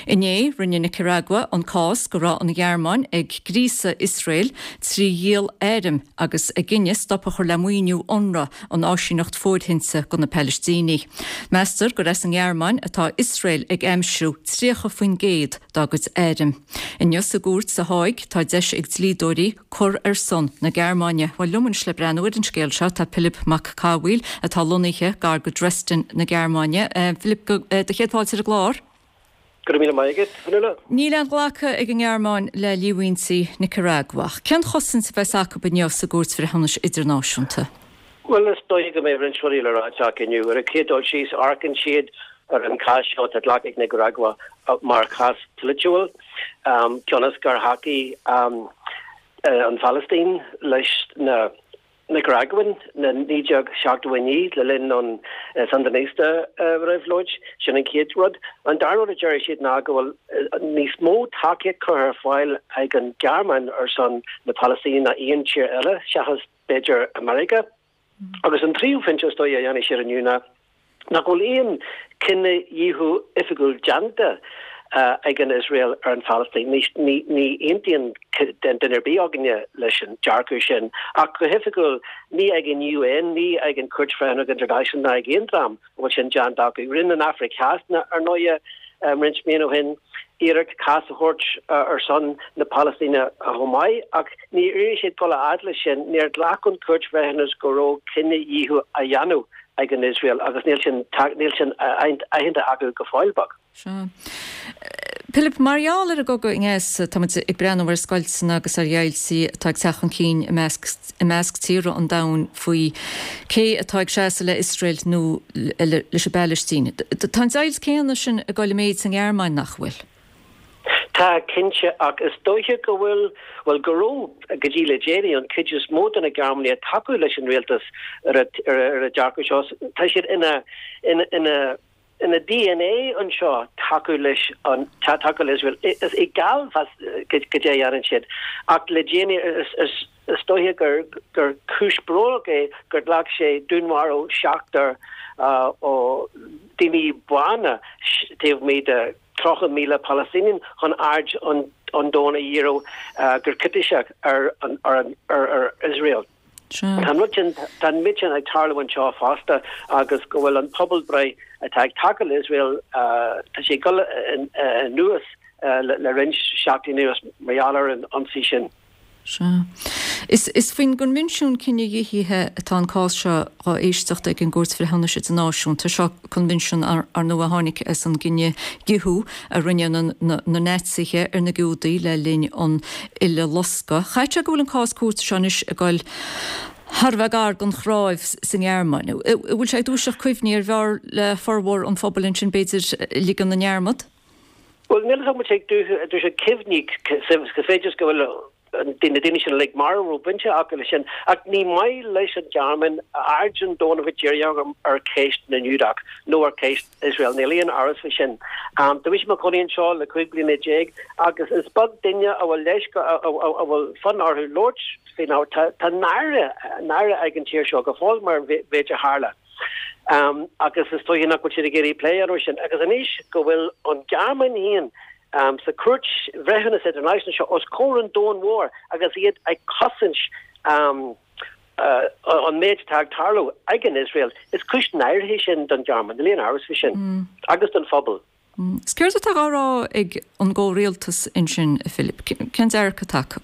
Inné, rinne Nicearagua an cás go raibh an Ghearmáin ag gríosadh Iosrael trí dhíol airm agus a gcinneadh stop a chur le maoiniú Unrwa, an áisíneacht fóirthinte do na Palaistínigh. Meastar gur as an nGearmáin atá Iosrael ag aimsiú 30% dá gcuid airm. Inniu sa gcúirt sa Háig tá deis ag dlíodóirí cur ar son na Gearmáine. Bhuel, liom anois le breathnú ar an scéal seo tá Pilib Mac Cathmhaoil atá lonnaithe gar go Dresden na Gearmáine. Philip, do chéad fáilte ar an gclár. Go raibh míle maith agat, Fionnuala. Níl aon ghlacadh ag an nGearmáin le líomhaintí Nicearagua. Cén chosaint a bheas acu inniu sa gCúirt Bhreithiúnais Idirnáisiúnta? Bhuel, is dóiche go mbeidh roinnt rudaí le ráit acu inniu. Ar an chéad dul síos, amharcann siad ar an chás seo atá glactha ag Nicearagua mar chás polaitiúil, cionn is gur thacaigh an Phalaistín leis na Nicaraguan na 1979 le linn an Sandinista réabhlóid. Sin an chéad rud. An dara rud a deir siad ná go bhfuil níos mó tacaíocht curtha ar fáil ag an Ghearmáin ar son na Palaistíne ná aon tír eile seachas b'fhéidir America. Agus an tríú pointe is dóigh a dhéanfaidh siad inniu ná nach bhfuil aon chinedhíothú oifigiúil déanta ag an Iosrael ar an Phalaistín. Ní aontaíonn duine ar bith againne leis an dearcadh sin, ach go hoifigiúil, ní ag an UN, ní ag an Chúirt Bhreithiúnach Idirnáisiúnta ná ag aon dream a bhfuil sin déanta acu. Rinne an Afraic Theas, ar ndóighe, roinnt míonna ó shin, iarracht cás a thabhairt ar son na Palaistíne chomh maith, ach níor éirigh siad dul a fhad leis sin. Níor ghlac an Chúirt Bhreithiúnais go raibh cinedhíothú á dhéanamh ag an Iosrael agus níl sin níl sin aitheanta acu go fóill beag. Sea. Pilib, mar gheall ar an gcogadh i nGaza, tá muid ag breathnú ar scoilteanna agus ar dheighiltí atá ag teacht chun cinn i measc i measc tíortha an domhain faoi cé atá ag seasamh le Iosrael nó leis an bPalaistín. Tá an deighilt céanna sin ag dul i méid sa nGearmáin, nach bhfuil? Tá, cinnte, ach is dóiche go bhfuil, bhuel, go raibh, go dtí le déanaí, an chuid is mó de na Gearmánaigh ag tacú leis an rialtas ar an dearcadh seo. Tá siad ina, ina, ina, ina DNA anseo tacú leis an, tacú le Iosrael. Is eagal goidé a dhéanann siad. Ach le déanaí, is, is, is dóiche gur, gur cúis brónach é gur ghlac sé dúnmharú seachtar ó daoine bána taobh amuigh de 30,000 Palaistíneach chun aird an domhain a dhíriú go criticeach ar Iosrael. Tá an rud sin, tá an méid sin ag tarlú anseo fosta agus go bhfuil an pobalbhreith atá ag tacú le Iosrael, tá sé ag dul anuas le roinnt seachtainí anuas mar gheall ar an ionsaí sin. Sea. Is faoin gCoinbhinsiún Cinedhíothaithe atá an cás seo dhá éisteacht ag an gCúirt Bhreithiúnais Idirnáisiúnta. Seo coinbhinsiún, ar ndóigh, a tháinig as an gcinedhíothú a rinne na Naitsithe ar na Giúdaigh le linn an Uileloscadh. Chaithfeadh sé go bhfuil an cás cúirte seo anois ag dul thar a bheith gar don chnáimh sa nGearmáin. An bhfuil sé ag dúiseacht cuimhní arbh fhearr le formhór an phobail ansin, b'fhéidir, ligean i ndearmad? Bhuel, níl a fhios agam an bhfuil sé ag dúiseacht cuimhní, is féidir go bhfuil na daoine sin uilig marbh a raibh baint acu leis sin, ach ní maith leis an Ghearmáin aird an domhain a bheith dírithe ar cheist na nGiúdach nó ar cheist Iosrael, níl aon amhras faoi sin. Tá mise i mo chónaí anseo le 15 bliana agus is beag duine a bhfuil leis, a bhfuil fonn orthu labhairt faoin ábhar. Tá náire, náire ag an tír seo go fóill mar an mhéid a tharla. Agus is dóiche nach bhfuil siad ag iarraidh plé a dhéanamh air sin. Agus anois go bhfuil an Ghearmáin féin sa Chúirt Bhreithiúnas Idirnáisiúnta seo os comhair an domhain mhóir agus iad ag cosaint an méid atá ag tarlú ag an Iosrael, is cúis náire é sin don Ghearmáin, níl aon amhras faoi sin, agus don phobal. Is céard atá á rá ag an gcomhrialtas ansin, a Philip? Cén dearcadh atá acu?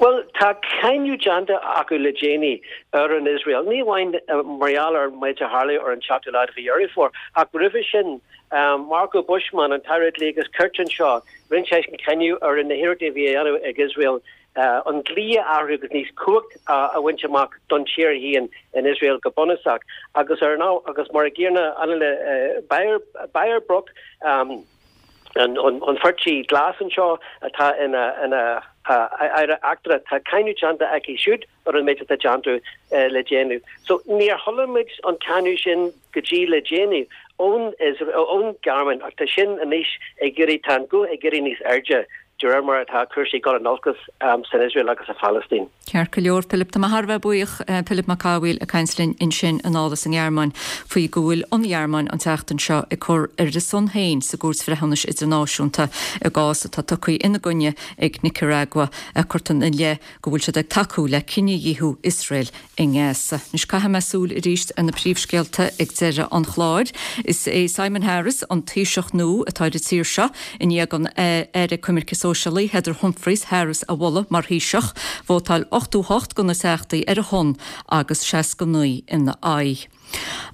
Bhuel, tá cáineadh déanta acu le déanaí ar an Iosrael, ní amháin mar gheall ar an méid a tharla ar an tseachtú lá de mhí Dheireadh Fómhair, ach roimhe sin, Marco Buschmann, an tAire Dlí agus Cirt anseo, rinne seisean cáineadh ar na hiarrachtaí a bhí á dhéanamh ag Iosrael an dlí a athrú agus níos cumhacht a bhaint amach don tír féin in Iosrael go bunúsach. Agus ar an agus mar a gcéanna Annalena Baerbock, an pháirtí glas anseo atá ina ina aire eachtrach, tá cáineadh déanta aici siúd ar an méid atá déanta le déanaí. So níor chuala muid an cáineadh sin go dtí le déanaí ón ón Ghearmáin ach tá sin anois ag éirí, tá an guth ag éirí níos airde de réir mar atá cúrsaí ag dul in olcas san Iosrael agus sa Phalaistín. Ceart go leor, Pilib. Tá mé thar a bheith buíoch, Pilib Mac Cathmhaoil ag caint linn ansin anall as an nGearmáin faoi go bhfuil an Ghearmáin an tseachtain seo ag cur ar a son féin sa gCúirt Bhreithiúnais Idirnáisiúnta i gcás atá tugtha ina gcoinne ag Nicearagua a cuirtear ina leith go bhfuil siad ag tacú le cinedhíothú Iosrael i nGaza. Anois caithfidh mé súil arís ar na príomhscéalta ag deireadh an chláir. Is é Simon Harris an Taoiseach nua atá ar an tír seo i ndiaidh don Aire Coimirce Sóisialaí Heather Humphreys Harris a mholadh mar Thaoiseach. Vótáil 88 de na Teachtaí ar a shon agus 69 ina aghaidh.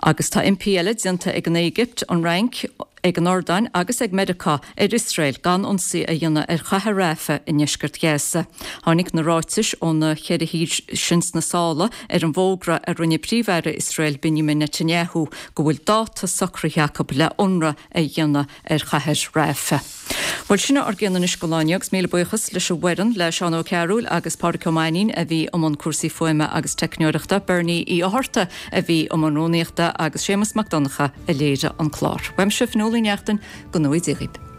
Agus tá impí eile déanta ag an Éigipt, an Fhrainc, ag an Iordáin agus ag Meiriceá ar Iosrael gan ionsaí a dhéanamh ar chathair Rafah i ndeisceart Ghaza. Tháinig na ráitis ó na ceithre thír sin sna sála ar an bhfógra a rinne Príomh-Aire Iosrael Benjamin Netanyahu go bhfuil dáta socraithe acu le ionradh a dhéanamh ar chathair Rafah. Bhuel, sin ár gcion anois don lá inniu agus míle buíochas leis an bhfoireann, le Seán Ó Cearúil agus Pádraic Ó Mainnín a bhí i mbun cúrsaí fuaime agus teicneoireachta, Bernie Uí Fhátharta a bhí i mbun rúnaíochta agus Séamus Mac Donncha a léirigh an clár. Uaimse, Fionnuala Ní Neachtain, go ngnóthaí Dia dhaoibh.